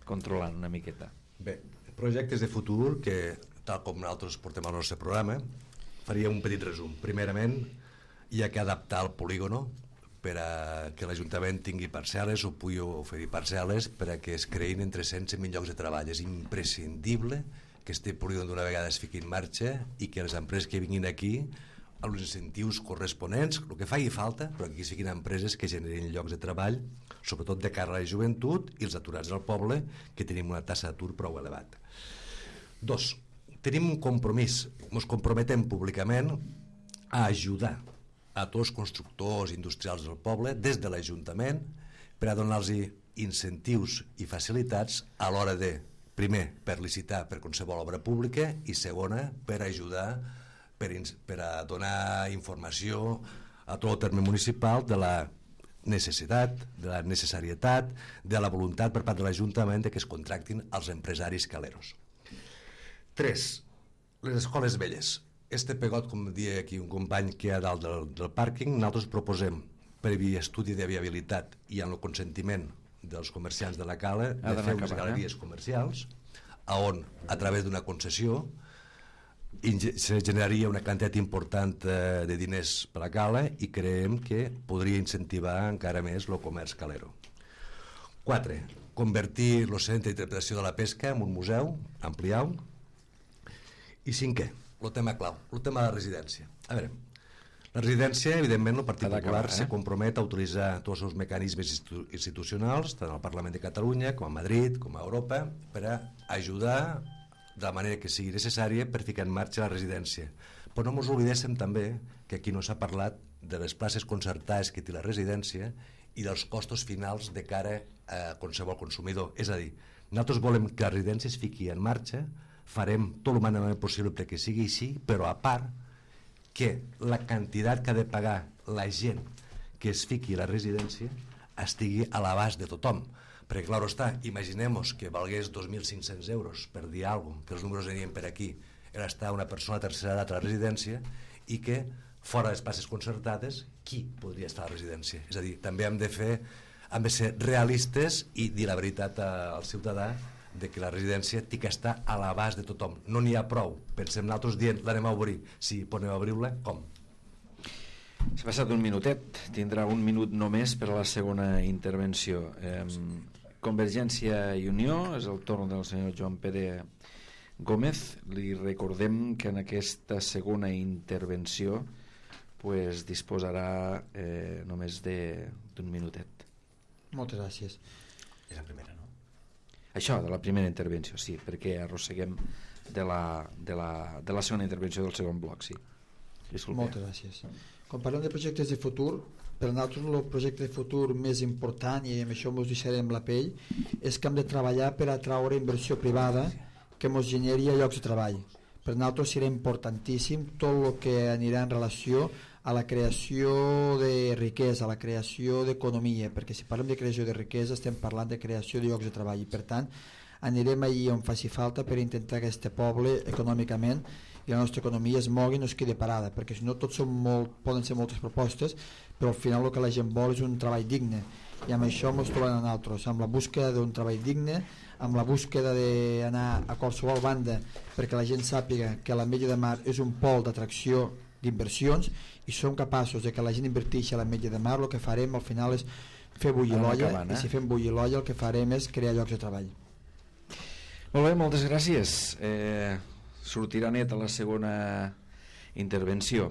controlant una miqueta. Bé, projectes de futur que, tal com nosaltres portem al nostre programa, faria un petit resum. Primerament, hi ha que adaptar el polígono per a que l'Ajuntament tingui parcel·les o pugui oferir parcel·les per a que es creïn entre 100 i 1.000 llocs de treball. És imprescindible que este polígon d'una vegada es fiqui en marxa i que les empreses que vinguin aquí, amb els incentius corresponents, el que faci falta, però que aquí siguin empreses que generin llocs de treball, sobretot de cara a la joventut i els aturats del poble, que tenim una tassa d'atur prou elevat. 2. Tenim un compromís, ens comprometem públicament a ajudar a tots els constructors industrials del poble des de l'Ajuntament per a donar-los incentius i facilitats a l'hora de, primer, per licitar per qualsevol obra pública i segona, per ajudar per a donar informació a tot el terme municipal de la necessitat, de la necessarietat, de la voluntat per part de l'Ajuntament de que es contractin els empresaris caleros. 3. Les escoles velles. Este pegot, com deia aquí un company que hi ha dalt del pàrquing, nosaltres proposem, previ estudi de viabilitat i amb el consentiment dels comerciants de la cala, de fer unes galeries comercials, on, a través d'una concessió, se generaria una quantitat important de diners per la cala i creiem que podria incentivar encara més el comerç calero. 4. Convertir el centre d'interpretació de la pesca en un museu, ampliar-ho. I 5è, el tema clau, el tema de la residència. A veure, la residència, evidentment, el Partit Popular se compromet a utilitzar tots els seus mecanismes institucionals, tant al Parlament de Catalunya com a Madrid, com a Europa, per a ajudar de la manera que sigui necessària per ficar en marxa la residència. Però no ens oblidéssim també que aquí no s'ha parlat de les places concertades que té la residència i dels costos finals de cara a qualsevol consumidor. És a dir, nosaltres volem que la residència es fiqui en marxa, farem tot el humanament possible perquè sigui així, però a part que la quantitat que ha de pagar la gent que es fiqui a la residència estigui a l'abast de tothom. Perquè, clar està, imaginem-nos que valgués 2.500 euros per dir alguna cosa, que els números venien per aquí, era estar una persona de tercera edat a la residència i que, fora de les places concertades, qui podria estar a la residència? És a dir, també hem de ser realistes i dir la veritat al ciutadà de que la residència té que estar a l'abast de tothom. No n'hi ha prou. Pensem nosaltres dient, l'anem a obrir. Sí, podem obrir-la, com? S'ha passat un minutet, tindrà 1 minut només per a la segona intervenció. Convergència i Unió, és el torn del senyor Joan Pere Gómez. Li recordem que en aquesta segona intervenció disposarà només d'un minutet. Moltes gràcies. És la primera, no? Això, de la primera intervenció, sí, perquè arrosseguem de la segona intervenció del segon bloc, sí. Disculpe. Moltes gràcies. Quan parlem de projectes de futur, per nosaltres el projecte de futur més important, i amb això ens deixarem la pell, és que hem de treballar per atraure inversió privada que ens generi llocs de treball. Per nosaltres serà importantíssim tot el que anirà en relació a la creació de riquesa, a la creació d'economia, perquè si parlem de creació de riquesa estem parlant de creació de llocs de treball i per tant anirem allí on faci falta per intentar que aquest poble econòmicament i la nostra economia es mogui i no es quedi parada, perquè si no tots poden ser moltes propostes, però al final el que la gent vol és un treball digne i amb això ens trobem a nosaltres, amb la búsqueda d'un treball digne, amb la búsqueda d'anar a qualsevol banda perquè la gent sàpiga que l'Ametlla de Mar és un pol d'atracció d'inversions i som capaços de que la gent inverteixi a l'Ametlla de Mar. El que farem al final és fer bullir l'olla i si fem bullir l'olla el que farem és crear llocs de treball. Molt bé, moltes gràcies. Sortirà net a la segona intervenció.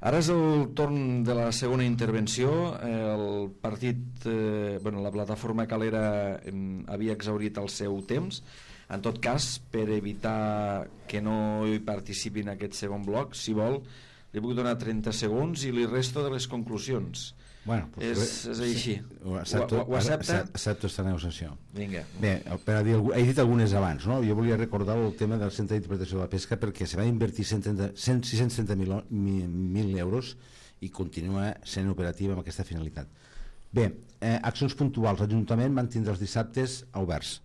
Ara és el torn de la segona intervenció. El partit, la plataforma calera havia exhaurit el seu temps. En tot cas, per evitar que no hi participi en aquest segon bloc, si vol, li puc donar 30 segons i li resto de les conclusions. Bueno, és així. Ho accepta? Accepto aquesta negociació. Vinga. Bé, he dit algunes abans, no? Jo volia recordar el tema del Centre d'Interpretació de la Pesca, perquè se va invertir 630.000 euros i continua sent operativa amb aquesta finalitat. Bé, accions puntuals. L'Ajuntament mantindrà els dissabtes oberts.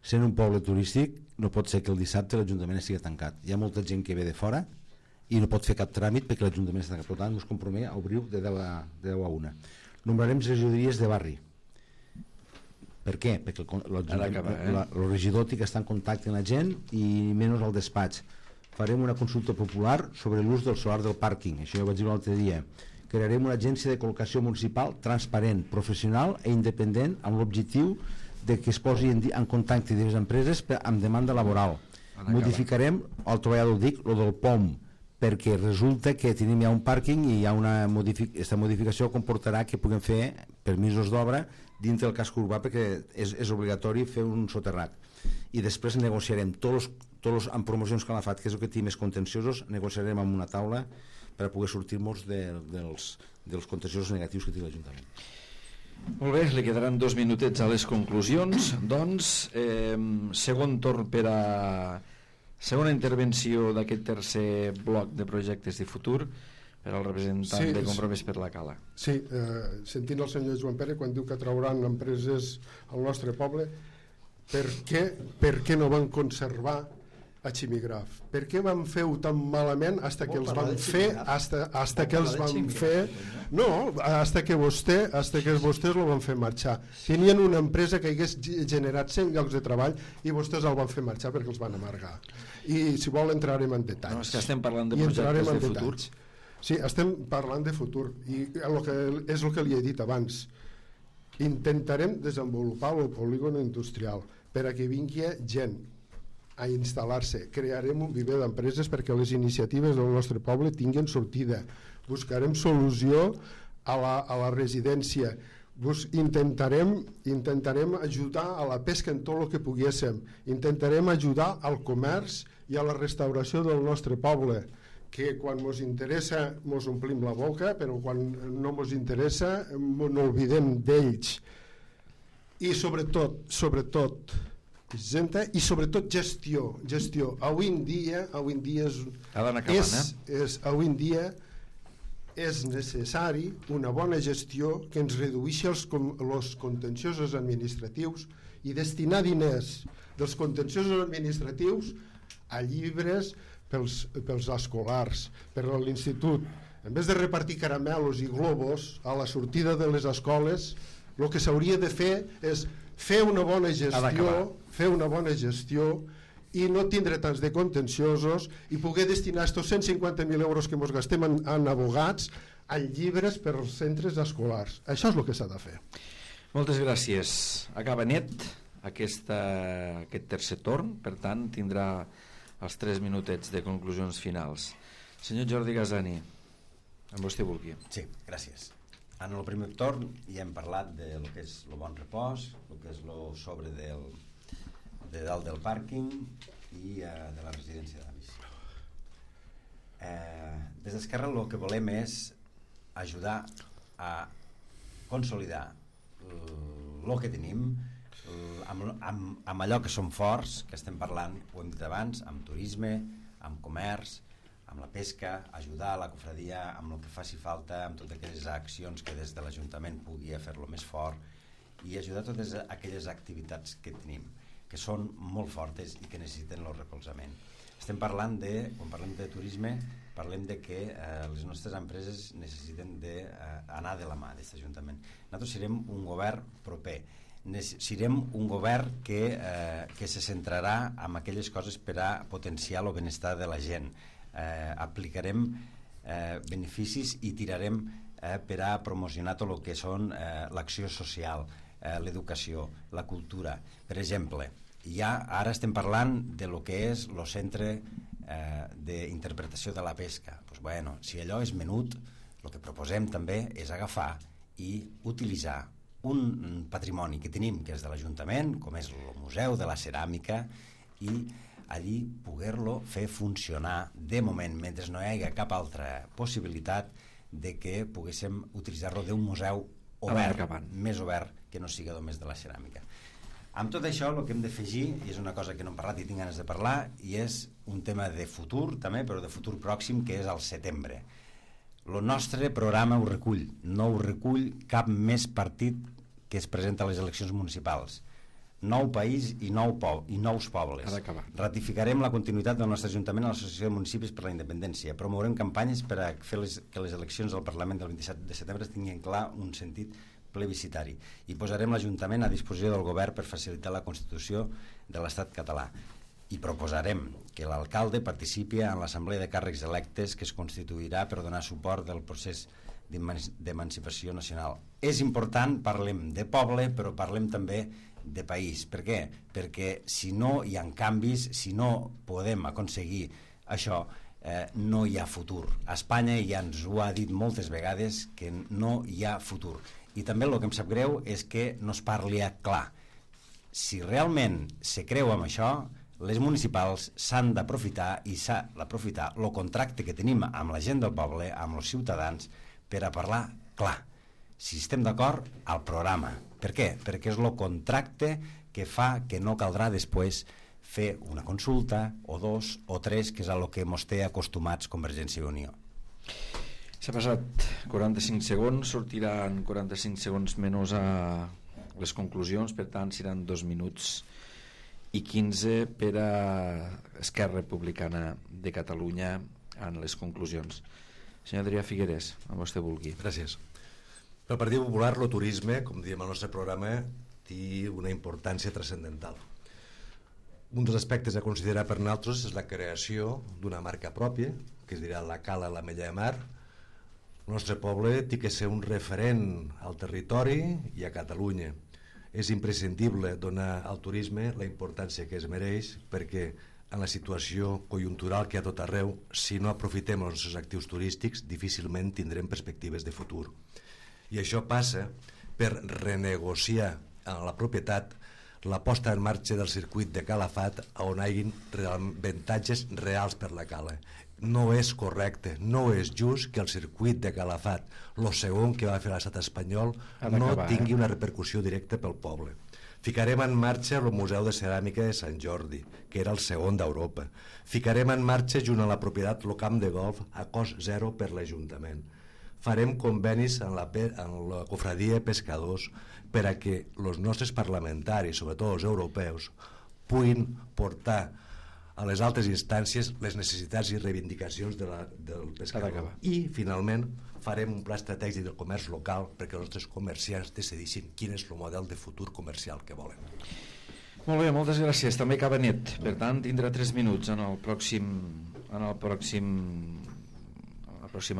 Sent un poble turístic, no pot ser que el dissabte l'Ajuntament estigui tancat. Hi ha molta gent que ve de fora i no pot fer cap tràmit perquè l'Ajuntament està tancat. Per tant, ens compromet a obrir de 10 a 1. Nombrarem regidories de barri. Per què? Perquè el regidor té que estar en contacte amb la gent i menys al despatx. Farem una consulta popular sobre l'ús del solar del pàrquing. Això ja ho vaig dir l'altre dia. Crearem una agència de col·locació municipal transparent, professional i independent amb l'objectiu de que es posi en contacte diverses empreses amb demanda laboral. Modificarem, el treballador dic, el del POM, perquè resulta que tenim ja un pàrquing i aquesta modificació comportarà que puguem fer permisos d'obra dintre del casc urbà perquè és obligatori fer un soterrat. I després negociarem tots amb promocions que l'ha fet, que és el que té més contenciosos, negociarem amb una taula per poder sortir-nos dels contenciosos negatius que té l'Ajuntament. Molt bé, li quedaran 2 minutets a les conclusions. Doncs, segon torn per a segona intervenció d'aquest tercer bloc de projectes de futur per al representant de Compromís per la Cala. Sí, sentint el senyor Joan Pere quan diu que trauran empreses al nostre poble, per què no van conservar a Ximigraf? Per què van fer-ho tan malament hasta que els van fer hasta que els van fer hasta que vostès lo van fer marxar. Tenien una empresa que hagués generat 100 llocs de treball i vostès el van fer marxar perquè els van amargar. I si vol entrarem en detalls. No, és que estem parlant de projectes de futur. Sí, estem parlant de futur i és el que li he dit abans. Intentarem desenvolupar el polígon industrial per a que vingui gent a instal·lar-se. Crearem un viver d'empreses perquè les iniciatives del nostre poble tinguin sortida. Buscarem solució a la residència. Intentarem ajudar a la pesca en tot el que poguéssim. Intentarem ajudar al comerç i a la restauració del nostre poble, que quan ens interessa ens omplim la boca, però quan no ens interessa no oblidem d'ells. I sobretot gestió. Avui en dia és necessari una bona gestió que ens redueixi els contenciosos administratius i destinar diners dels contenciosos administratius a llibres pels escolars, per a l'institut. En vez de repartir caramelos i globos a la sortida de les escoles, el que s'hauria de fer és fer una bona gestió i no tindre tants de contenciosos i poder destinar estos 150.000 euros que ens gastem en abogats a llibres per als centres escolars. Això és el que s'ha de fer. Moltes gràcies. Acaba net aquest tercer torn, per tant tindrà els 3 minutets de conclusions finals. Senyor Jordi Gasani, amb vostè vulgui. Sí, gràcies. En el primer torn ja hem parlat de lo que és el bon repòs, el que és el sobre de dalt del pàrquing i de la residència d'avis. Des d'Esquerra el que volem és ajudar a consolidar el que tenim amb allò que som forts, que estem parlant, ho hem dit abans, amb turisme, amb comerç, amb la pesca, ajudar a la cofradia amb el que faci falta, amb totes aquelles accions que des de l'Ajuntament pugui fer-lo més fort i ajudar a totes aquelles activitats que tenim, que són molt fortes i que necessiten el recolzament. Estem parlant quan parlem de turisme, parlem de que les nostres empreses necessiten d'anar de la mà d'aquest Ajuntament. Nosaltres serem un govern proper, serem un govern que se centrarà en aquelles coses per a potenciar el benestar de la gent. Aplicarem beneficis i tirarem per a promocionar tot el que són l'acció social, l'educació, la cultura. Per exemple, ara estem parlant de lo que és el centre d'interpretació de la pesca. Si allò és menut, el que proposem també és agafar i utilitzar un patrimoni que tenim, que és de l'Ajuntament, com és el Museu de la Ceràmica, i allí poder-lo fer funcionar de moment, mentre no hi hagi cap altra possibilitat, de que poguéssim utilitzar-lo d'un museu obert, més obert que no sigui només de la ceràmica. Amb tot això, el que hem d'afegir, i és una cosa que no hem parlat i tinc ganes de parlar, i és un tema de futur també, però de futur pròxim, que és al setembre. El nostre programa ho recull, no ho recull cap més partit que es presenta a les eleccions municipals. Nou país i nous pobles. Ratificarem la continuïtat del nostre Ajuntament a l'Associació de Municipis per la Independència. Promourem campanyes per a fer que les eleccions del Parlament del 27 de setembre tinguin clar un sentit plebiscitari i posarem l'Ajuntament a disposició del govern per facilitar la constitució de l'Estat català. I proposarem que l'alcalde participi en l'assemblea de càrrecs electes que es constituirà per donar suport del procés d'emancipació nacional. És important, parlem de poble, però parlem també de país. Per què? Perquè si no hi ha canvis, si no podem aconseguir això, no hi ha futur. A Espanya ja ens ho ha dit moltes vegades que no hi ha futur. I també el que em sap greu és que no es parli clar. Si realment se creu amb això, les municipals s'han d'aprofitar i s'ha d'aprofitar el contracte que tenim amb la gent del poble, amb els ciutadans, per a parlar clar. Si estem d'acord, al programa. Per què? Perquè és el contracte que fa que no caldrà després fer una consulta, o 2, o 3, que és el que ens té acostumats Convergència i Unió. S'ha passat 45 segons, sortiran 45 segons menys a les conclusions, per tant seran 2 minuts i 15 per a Esquerra Republicana de Catalunya en les conclusions. Senyor Adrià Figueres, amb vostè vulgui. Gràcies. Pel Partit Popular, el turisme, com diem al nostre programa, té una importància transcendental. Un dels aspectes a considerar per nosaltres és la creació d'una marca pròpia, que es dirà la Cala l'Ametlla de Mar. El nostre poble té que ser un referent al territori i a Catalunya. És imprescindible donar al turisme la importància que es mereix, perquè en la situació conjuntural que hi ha tot arreu, si no aprofitem els nostres actius turístics, difícilment tindrem perspectives de futur. I això passa per renegociar a la propietat la posta en marxa del circuit de Calafat, on hi hagi avantatges reals per la cala. No és correcte, no és just que el circuit de Calafat, el segon que va fer l'estat espanyol, no tingui una repercussió directa pel poble. Ficarem en marxa el Museu de Ceràmica de Sant Jordi, que era el segon d'Europa. Ficarem en marxa, junt a la propietat, el camp de golf a cost zero per l'Ajuntament. Farem convenis en la cofradia de pescadors per a que els nostres parlamentaris, sobretot els europeus, puguin portar a les altres instàncies les necessitats i reivindicacions del pescador. I, finalment, farem un pla estratègic del comerç local perquè els nostres comerciants decidissin quin és el model de futur comercial que volen. Molt bé, moltes gràcies. També acaba net. Per tant, tindrà 3 minuts en el pròxim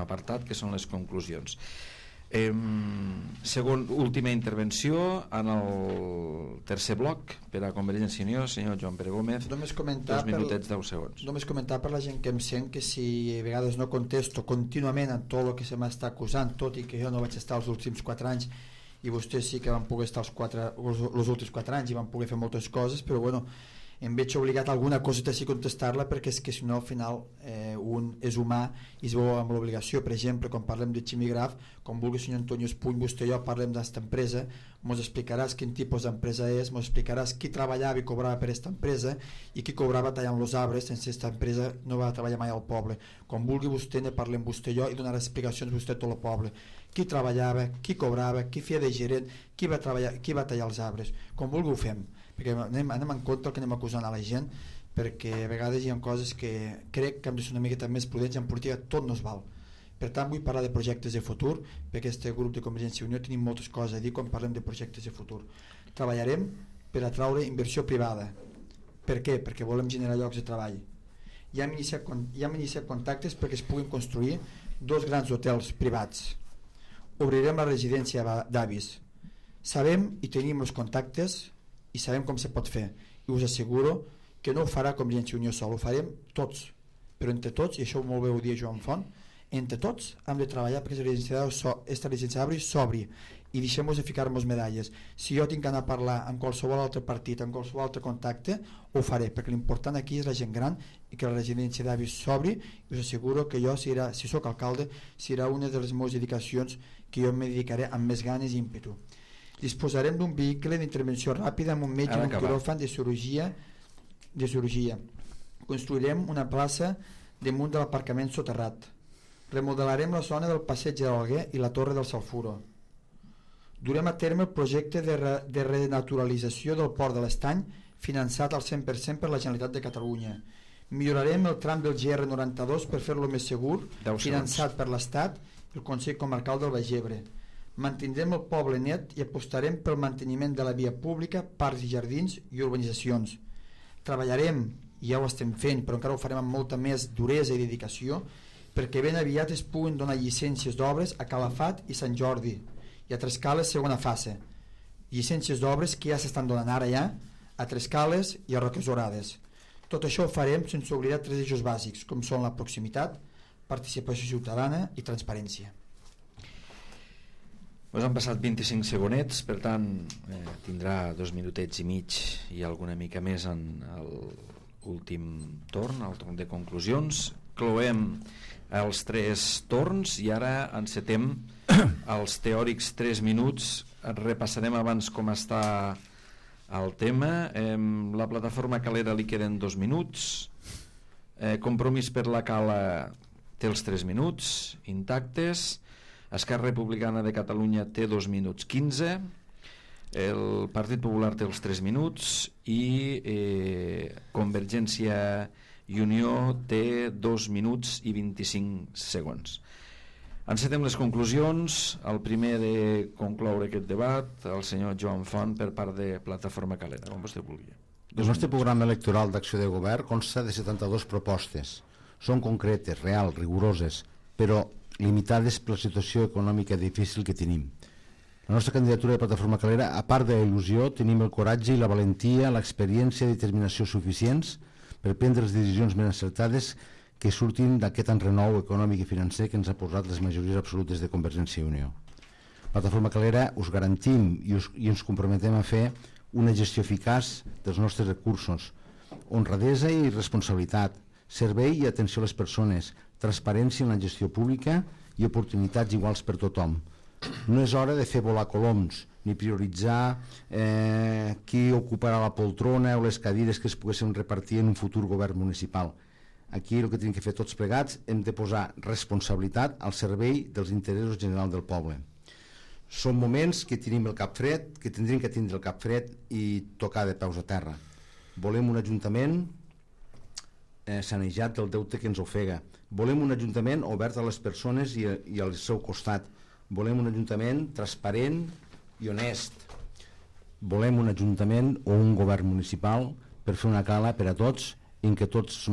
apartat, que són les conclusions. Última intervenció en el tercer bloc per a Convergència i Unió, senyor Joan Pere Gómez. 2 minutets 10 segons. Només comentar per la gent que em sent que si a vegades no contesto contínuament en tot el que se m'està acusant, tot i que jo no vaig estar els últims 4 anys i vostès sí que van poder estar els últims 4 anys i van poder fer moltes coses, però bueno, em veig obligat a alguna coseta sí contestar-la, perquè és que si no al final un és humà i es veu amb l'obligació. Per exemple, quan parlem de Ximigraf, com vulgui senyor Antonio Espuny, vostè i jo parlem d'aquesta empresa, ens explicaràs quin tipus d'empresa és, ens explicaràs qui treballava i cobrava per aquesta empresa i qui cobrava tallant els arbres. Sense aquesta empresa no va treballar mai al poble. Quan vulgui vostè ne parlem vostè i jo i donarà explicacions vostè a tot el poble, qui treballava, qui cobrava, qui feia de gerent, qui va tallar els arbres. Com vulgui ho fem, perquè anem en compte el que anem acusant a la gent, perquè a vegades hi ha coses que crec que hem de ser una miqueta més prudents i en política tot no es val. Per tant, vull parlar de projectes de futur, perquè aquest grup de Convergència i Unió tenim moltes coses a dir quan parlem de projectes de futur. Treballarem per atraure inversió privada. Per què? Perquè volem generar llocs de treball. Ja hem iniciat contactes perquè es puguin construir 2 grans hotels privats. Obrirem la residència d'avis. Sabem i tenim els contactes i sabem com se pot fer, i us asseguro que no ho farà Convergència i Unió sol, ho farem tots, però entre tots, i això molt bé ho dia Joan Font, Entre tots hem de treballar perquè esta residència d'Avi s'obri i deixem-nos de ficar-nos medalles. Si jo tinc que anar a parlar amb qualsevol altre partit, amb qualsevol altre contacte, ho faré, perquè l'important aquí és la gent gran i que la residència d'Avi s'obri, i us asseguro que jo, si sóc alcalde, serà una de les meves dedicacions que jo me dedicaré amb més ganes i ímpetu. Disposarem d'un vehicle d'intervenció ràpida amb un metge i un quiròfan de cirurgia. Construirem una plaça damunt de l'aparcament soterrat. Remodelarem la zona del passeig de l'Alguer i la torre del Salfuro. Durem a terme el projecte de renaturalització del port de l'Estany, finançat al 100% per la Generalitat de Catalunya. Millorarem el tram del GR92 per fer-lo més segur, finançat per l'Estat i el Consell Comarcal del Baix Ebre. Mantindrem el poble net i apostarem pel manteniment de la via pública, parcs i jardins i urbanitzacions. Treballarem, i ja ho estem fent, però encara ho farem amb molta més duresa i dedicació, perquè ben aviat es puguin donar llicències d'obres a Calafat i Sant Jordi, i a Trescales segona fase. Llicències d'obres que ja s'estan donant ara ja a Trescales i a Roques Orades. Tot això ho farem sense oblidar 3 eixos bàsics, com són la proximitat, participació ciutadana i transparència. Pues han passat 25 segonets, per tant tindrà 2 minutets i mig i alguna mica més en l'últim torn, el torn de conclusions. Cloem els 3 torns i ara encetem els teòrics 3 minuts. Repassarem abans com està el tema. La plataforma Calera li queden 2 minuts. Compromís per la Cala té els 3 minuts intactes. Esquerra Republicana de Catalunya té 2 minuts 15. El Partit Popular té els 3 minuts i Convergència i Unió té 2 minuts i 25 segons. Encetem les conclusions. El primer de concloure aquest debat, el senyor Joan Font, per part de Plataforma Calera, com vostè vulgui. El nostre programa electoral d'acció de govern consta de 72 propostes. Són concretes, reals, rigoroses, però limitades per la situació econòmica difícil que tenim. La nostra candidatura de Plataforma Calera, a part de la il·lusió, tenim el coratge i la valentia, l'experiència i determinació suficients per prendre les decisions més encertades que surtin d'aquest enrenou econòmic i financer que ens ha posat les majories absolutes de Convergència i Unió. Plataforma Calera us garantim i ens comprometem a fer una gestió eficaç dels nostres recursos, honradesa i responsabilitat, servei i atenció a les persones, transparència en la gestió pública i oportunitats iguals per tothom. No és hora de fer volar coloms ni prioritzar qui ocuparà la poltrona o les cadires que es poguessin repartir en un futur govern municipal. Aquí el que tenim que fer tots plegats hem de posar responsabilitat al servei dels interessos generals del poble. Són moments que tenim el cap fred, que tindrem que tindre el cap fred i tocar de peus a terra. Volem un ajuntament sanejat del deute que ens ofega. Volem un ajuntament obert a les persones i al seu costat. Volem un ajuntament transparent i honest. Volem un ajuntament o un govern municipal per fer una Cala per a tots en què tots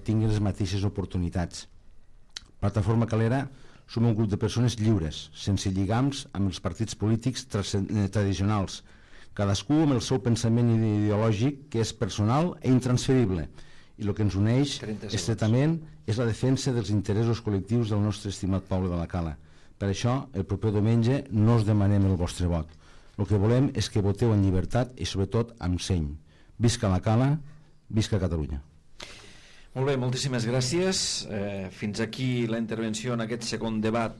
tinguin les mateixes oportunitats. Plataforma Calera som un grup de persones lliures, sense lligams amb els partits polítics tradicionals, cadascú amb el seu pensament ideològic que és personal i intransferible, i el que ens uneix estretament és la defensa dels interessos col·lectius del nostre estimat poble de la Cala. Per això, el proper diumenge no us demanem el vostre vot. El que volem és que voteu en llibertat i sobretot amb seny. Visca la Cala, visca Catalunya. Molt bé, moltíssimes gràcies. Fins aquí la intervenció en aquest segon debat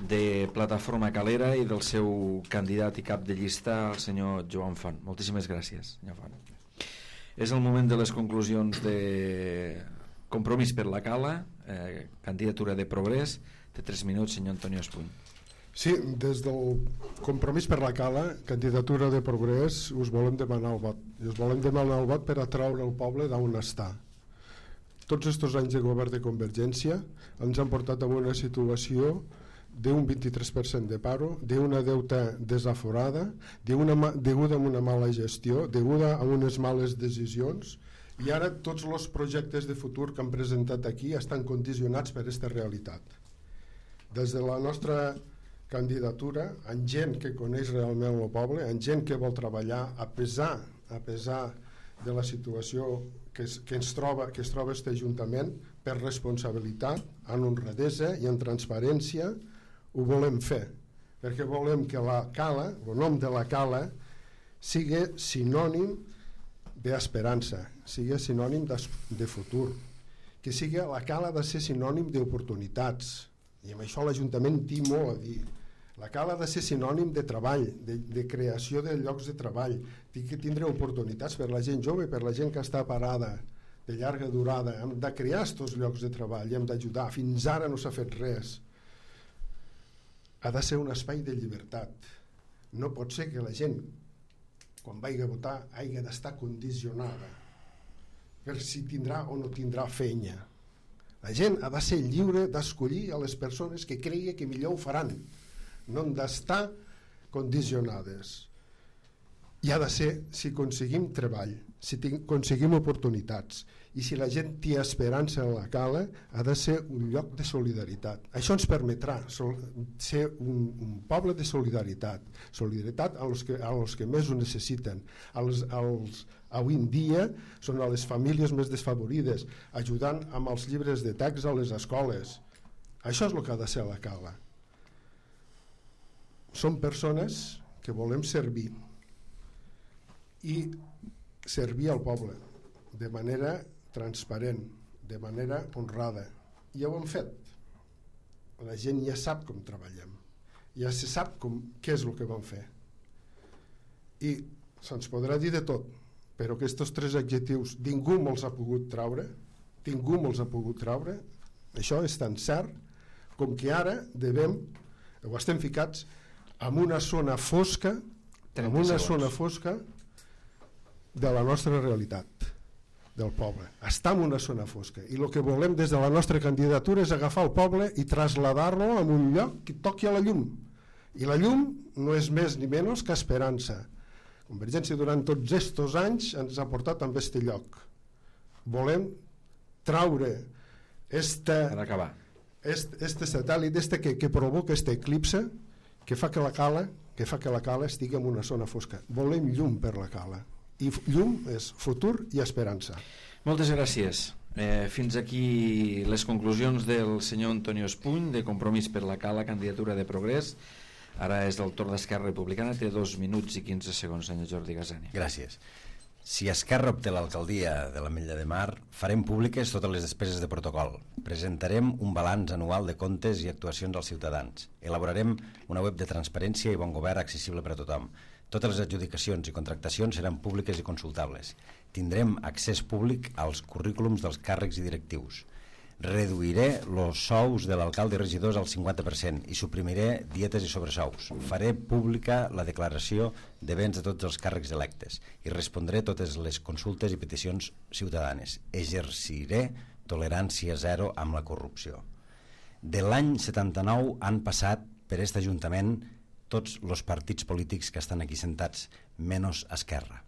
de Plataforma Calera i del seu candidat i cap de llista, el senyor Joan Font. Moltíssimes gràcies, senyor Font. És el moment de les conclusions de Compromís per la Cala, candidatura de Progrés. Té 3 minuts, senyor Antonio Espuny. Sí, des del Compromís per la Cala, candidatura de Progrés, us volem demanar el vot. I us volem demanar el vot per atraure el poble d'on està. Tots aquests anys de govern de Convergència ens han portat a una situació d'un 23% de paro, d'una deuta desaforada, deguda a una mala gestió, deguda a unes males decisions, i ara tots els projectes de futur que han presentat aquí estan condicionats per aquesta realitat. Des de la nostra candidatura, amb gent que coneix realment el poble, amb gent que vol treballar a pesar de la situació que es troba aquest Ajuntament, per responsabilitat, en honradesa i en transparència ho volem fer, perquè volem que la cala, el nom de la cala, sigui sinònim d'esperança, sigui sinònim de futur, que sigui la cala de ser sinònim d'oportunitats, i amb això l'Ajuntament té molt a dir. La cala ha de ser sinònim de treball, de creació de llocs de treball, té que tindre oportunitats per la gent jove, per la gent que està parada de llarga durada. Hem de crear aquests llocs de treball, hem d'ajudar. Fins ara no s'ha fet res. Ha de ser un espai de llibertat. No pot ser que la gent, quan vagi a votar, hagi d'estar condicionada per si tindrà o no tindrà feina. La gent ha de ser lliure d'escollir a les persones que cregui que millor ho faran. No han d'estar condicionades. I ha de ser, si aconseguim treball, si aconseguim oportunitats i si la gent té esperança en la cala, ha de ser un lloc de solidaritat. Això ens permetrà ser un poble de solidaritat, solidaritat als que més ho necessiten, avui en dia són a les famílies més desfavorides, ajudant amb els llibres de text a les escoles. Això és el que ha de ser la cala. Som persones que volem servir i servir al poble de manera transparent, de manera honrada. Ja ho hem fet. La gent ja sap com treballem, ja se sap què és el que vam fer. I se'ns podrà dir de tot, però aquests 3 adjectius ningú me'ls ha pogut treure, això és tan cert com que ara estem ficats en una zona fosca de la nostra realitat del poble. Està en una zona fosca i el que volem des de la nostra candidatura és agafar el poble i traslladar-lo a un lloc que toqui a la llum, i la llum no és més ni menys que esperança. Convergència durant tots aquests anys ens ha portat a aquest lloc. Volem traure este satèl·lit que provoca este eclipse que fa que la cala estigui en una zona fosca. Volem llum per la cala, i llum és futur i esperança. Moltes gràcies. Fins aquí les conclusions del senyor Antonio Espuny, de Compromís per la Cala, candidatura de Progrés. Ara és el torn d'Esquerra Republicana, té 2 minuts i 15 segons, senyor Jordi Gasani. Gràcies. Si Esquerra obté l'alcaldia de l'Ametlla de Mar, farem públiques totes les despeses de protocol. Presentarem un balanç anual de comptes i actuacions als ciutadans. Elaborarem una web de transparència i bon govern accessible per a tothom. Totes les adjudicacions i contractacions seran públiques i consultables. Tindrem accés públic als currículums dels càrrecs i directius. Reduiré els sous de l'alcalde i regidors al 50% i suprimiré dietes i sobresous. Faré pública la declaració de béns de tots els càrrecs electes i respondré totes les consultes i peticions ciutadanes. Exerciré tolerància zero amb la corrupció. De l'any 79 han passat per aquest Ajuntament tots els partits polítics que estan aquí sentats, menys Esquerra.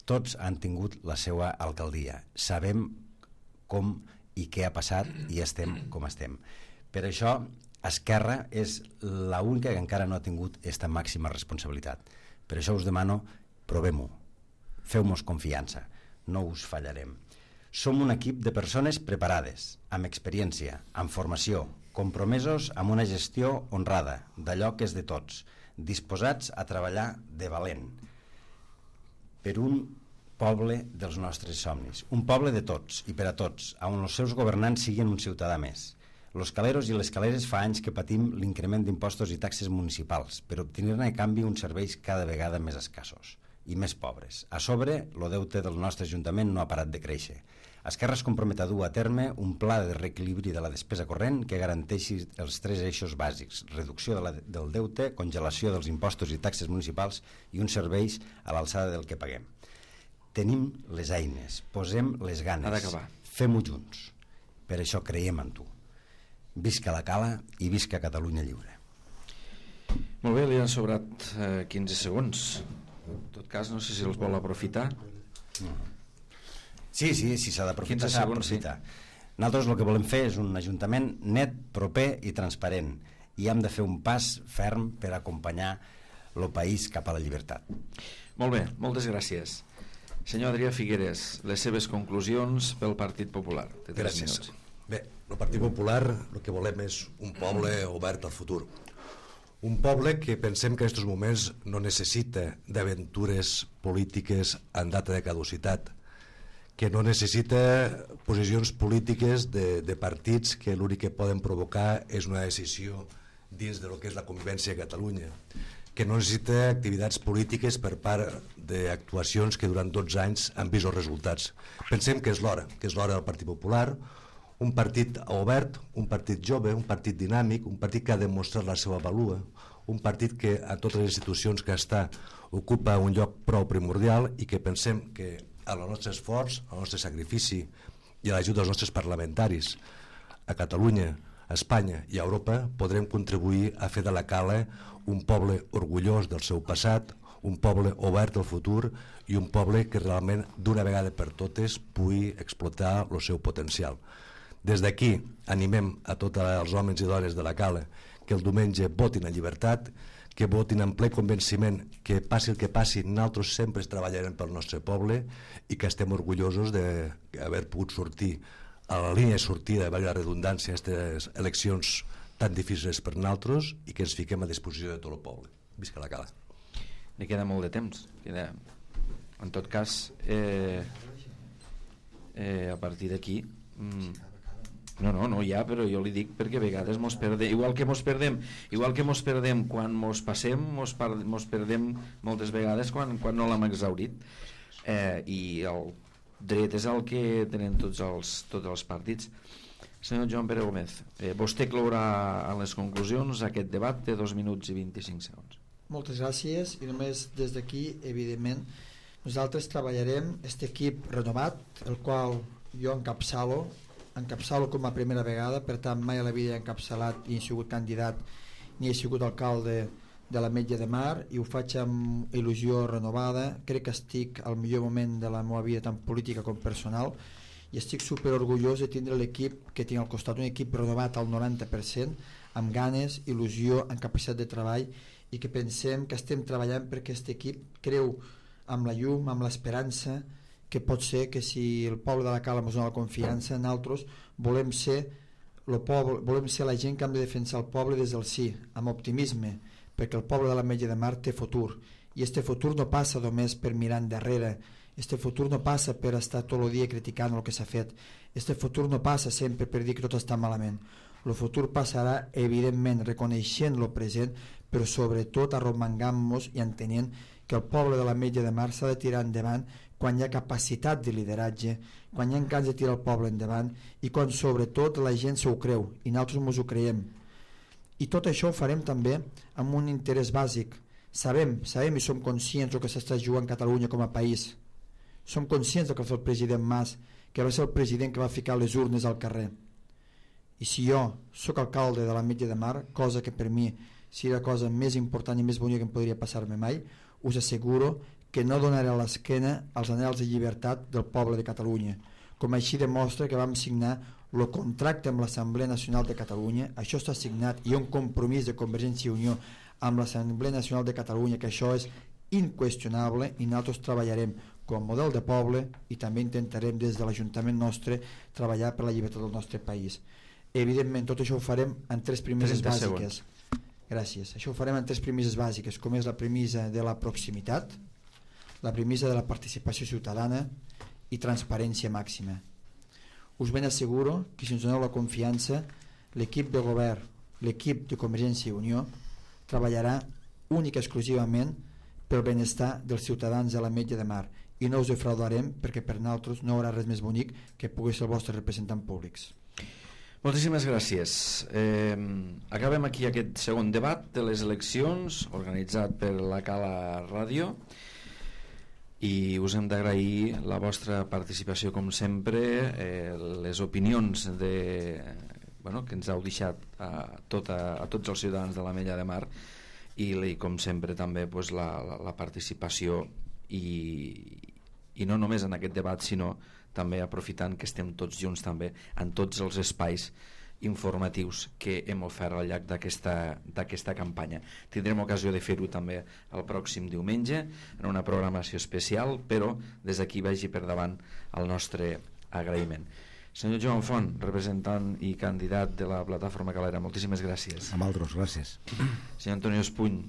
Tots han tingut la seva alcaldia. Sabem com i què ha passat i estem com estem. Per això, Esquerra és l'única que encara no ha tingut aquesta màxima responsabilitat. Per això us demano, provem-ho, feu-nos confiança, no us fallarem. Som un equip de persones preparades, amb experiència, amb formació, compromesos amb una gestió honrada, d'allò que és de tots, disposats a treballar de valent per un poble dels nostres somnis, un poble de tots i per a tots, on els seus governants siguin un ciutadà més. Los caleros i les caleres fa anys que patim l'increment d'impostos i taxes municipals per obtenir-ne a canvi uns serveis cada vegada més escassos i més pobres. A sobre, el deute del nostre Ajuntament no ha parat de créixer. Esquerra es compromet a dur a terme un pla de reequilibri de la despesa corrent que garanteixi els 3 eixos bàsics: reducció del deute, congelació dels impostos i taxes municipals i uns serveis a l'alçada del que paguem. Tenim les eines, posem les ganes, fem-ho junts. Per això creiem en tu. Visca la Cala i visca Catalunya lliure. Molt bé, li han sobrat 15 segons. En tot cas, no sé si els vol aprofitar. Sí, si s'ha d'aprofitar, s'ha d'aprofitar. Nosaltres el que volem fer és un ajuntament net, proper i transparent, i hem de fer un pas ferm per acompanyar el país cap a la llibertat. Molt bé, moltes gràcies. Senyor Adrià Figueres, les seves conclusions pel Partit Popular. Gràcies. Bé, el Partit Popular el que volem és un poble obert al futur. Un poble que pensem que en aquests moments no necessita d'aventures polítiques en data de caducitat, que no necessita posicions polítiques de partits que l'únic que poden provocar és una decisió dins de lo que és la convivència a Catalunya, que no necessita activitats polítiques per part d'actuacions que durant 12 anys han vist els resultats. Pensem que és l'hora del Partit Popular, un partit obert, un partit jove, un partit dinàmic, un partit que ha demostrat la seva valua, un partit que a totes les institucions que està ocupa un lloc prou primordial i que pensem que al nostre esforç, al nostre sacrifici i a l'ajuda dels nostres parlamentaris a Catalunya, a Espanya i a Europa podrem contribuir a fer de la Cala un poble orgullós del seu passat, un poble obert al futur i un poble que realment d'una vegada per totes pugui explotar el seu potencial. Des d'aquí animem a tots els homes i dones de la Cala que el diumenge votin en llibertat, que votin en ple convenciment que passi el que passi, nosaltres sempre treballarem pel nostre poble i que estem orgullosos d'haver pogut sortir a la línia de sortida, valgui la redundància, aquestes eleccions tan difícils per nosaltres i que ens fiquem a disposició de tot el poble. Visca la Cala. Li queda molt de temps. En tot cas, a partir d'aquí... No, ja, però jo li dic perquè a vegades mos perdem, igual que mos perdem quan mos passem, mos perdem moltes vegades quan no l'hem exhaurit. I el dret és el que tenen tots els partits. Senyor Joan Pere Gómez, vostè clourà en les conclusions aquest debat de 2 minuts i 25 segons. Moltes gràcies, i només des d'aquí, evidentment, nosaltres treballarem aquest equip renovat, el qual jo encapçalo com a primera vegada, per tant mai a la vida he encapçalat i he sigut candidat ni he sigut alcalde de l'Ametlla de Mar, i ho faig amb il·lusió renovada. Crec que estic al millor moment de la meva vida, tant política com personal, i estic super orgullós de tindre l'equip que tinc al costat, un equip renovat al 90%, amb ganes, il·lusió, amb capacitat de treball, i que pensem que estem treballant perquè aquest equip creu amb la llum, amb l'esperança, que pot ser que si el poble de la Cala ens dona la confiança, nosaltres volem ser la gent que hem de defensar el poble des del sí, amb optimisme, perquè el poble de l'Ametlla de Mar té futur, i este futur no passa només per mirar endarrere, este futur no passa per estar tot el dia criticant el que s'ha fet, este futur no passa sempre per dir que tot està malament, el futur passarà evidentment reconeixent el present, però sobretot arromangant-nos i entenent que el poble de l'Ametlla de Mar s'ha de tirar endavant quan hi ha capacitat de lideratge, quan hi ha ganes de tirar el poble endavant i quan sobretot la gent s'ho creu i nosaltres ens ho creiem. I tot això ho farem també amb un interès bàsic. Sabem i som conscients del que s'està jugant Catalunya com a país. Som conscients del que va fer el president Mas, que va ser el president que va ficar les urnes al carrer. I si jo sóc alcalde de l'Ametlla de Mar, cosa que per mi seria la cosa més important i més bonica que em podria passar-me mai, us asseguro que no donaré l'esquena als anhels de llibertat del poble de Catalunya, com així demostra que vam signar el contracte amb l'Assemblea Nacional de Catalunya. Això està signat i hi ha un compromís de Convergència i Unió amb l'Assemblea Nacional de Catalunya, que això és inqüestionable, i nosaltres treballarem com a model de poble i també intentarem des de l'Ajuntament nostre treballar per la llibertat del nostre país. Evidentment tot això ho farem en 3 premisses bàsiques. Gràcies. Això ho farem en 3 premisses bàsiques, com és la premissa de la proximitat, la premissa de la participació ciutadana i transparència màxima. Us ben asseguro que si ens doneu la confiança, l'equip de govern, l'equip de Convergència i Unió treballarà únic i exclusivament pel benestar dels ciutadans de l'Ametlla de Mar, i no us defraudarem perquè per nosaltres no hi haurà res més bonic que pugui ser els vostres representants públics. Moltíssimes gràcies. Acabem aquí aquest segon debat de les eleccions organitzat per la Cala Ràdio, i us hem d'agrair la vostra participació com sempre, les opinions que ens heu deixat a tots els ciutadans de l'Ametlla de Mar, i com sempre també la participació i no només en aquest debat, sinó també aprofitant que estem tots junts també en tots els espais informatius que hem ofert al llarg d'aquesta campanya. Tindrem ocasió de fer-ho també el pròxim diumenge en una programació especial, però des d'aquí vagi per davant el nostre agraïment. Senyor Joan Font, representant i candidat de la Plataforma Calera, moltíssimes gràcies. Amb altres, gràcies. Senyor Antonio Espuny,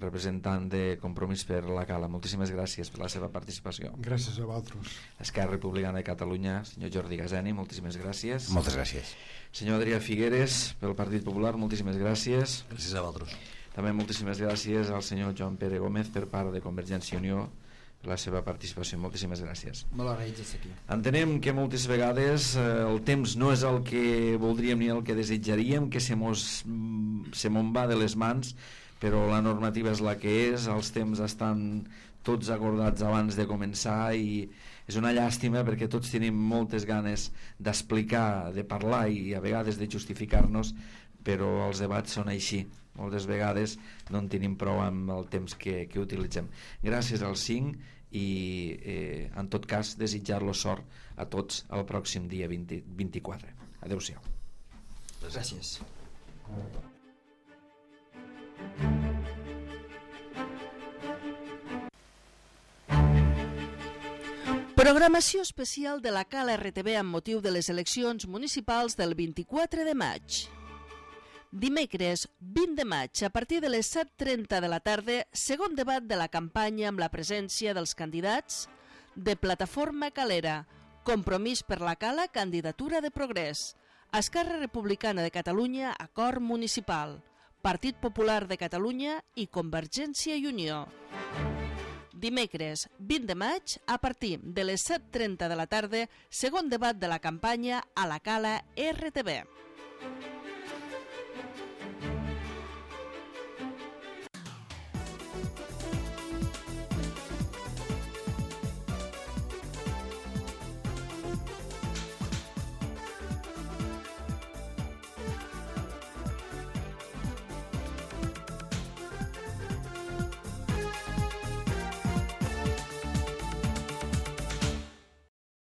representant de Compromís per la Cala, moltíssimes gràcies per la seva participació. Gràcies a vosaltres. Esquerra Republicana de Catalunya, senyor Jordi Gazeni, moltíssimes gràcies. Moltes gràcies. Senyor Adrià Figueres, pel Partit Popular, moltíssimes gràcies. Gràcies a vosaltres. També moltíssimes gràcies al senyor Joan Pere Gómez per part de Convergència i Unió per la seva participació. Moltíssimes gràcies. Molt agraïts d'estar aquí. Entenem que moltes vegades el temps no és el que voldríem ni el que desitjaríem, que se mos va de les mans, però la normativa és la que és, els temps estan tots acordats abans de començar i és una llàstima perquè tots tenim moltes ganes d'explicar, de parlar i a vegades de justificar-nos, però els debats són així, moltes vegades no en tenim prou amb el temps que utilitzem. Gràcies als 5 i en tot cas desitjar-los sort a tots el pròxim dia 24. Adéu-siau. Gràcies. Programació especial de la Cala RTV amb motiu de les eleccions municipals del 24 de maig. Dimecres 20 de maig, a partir de les 7:30 de la tarda, segon debat de la campanya amb la presència dels candidats de Plataforma Calera, Compromís per la Cala, Candidatura de Progrés, Esquerra Republicana de Catalunya, Acord Municipal, Partit Popular de Catalunya i Convergència i Unió. Dimecres 20 de maig, a partir de les 7:30 de la tarda, segon debat de la campanya a la Cala RTV.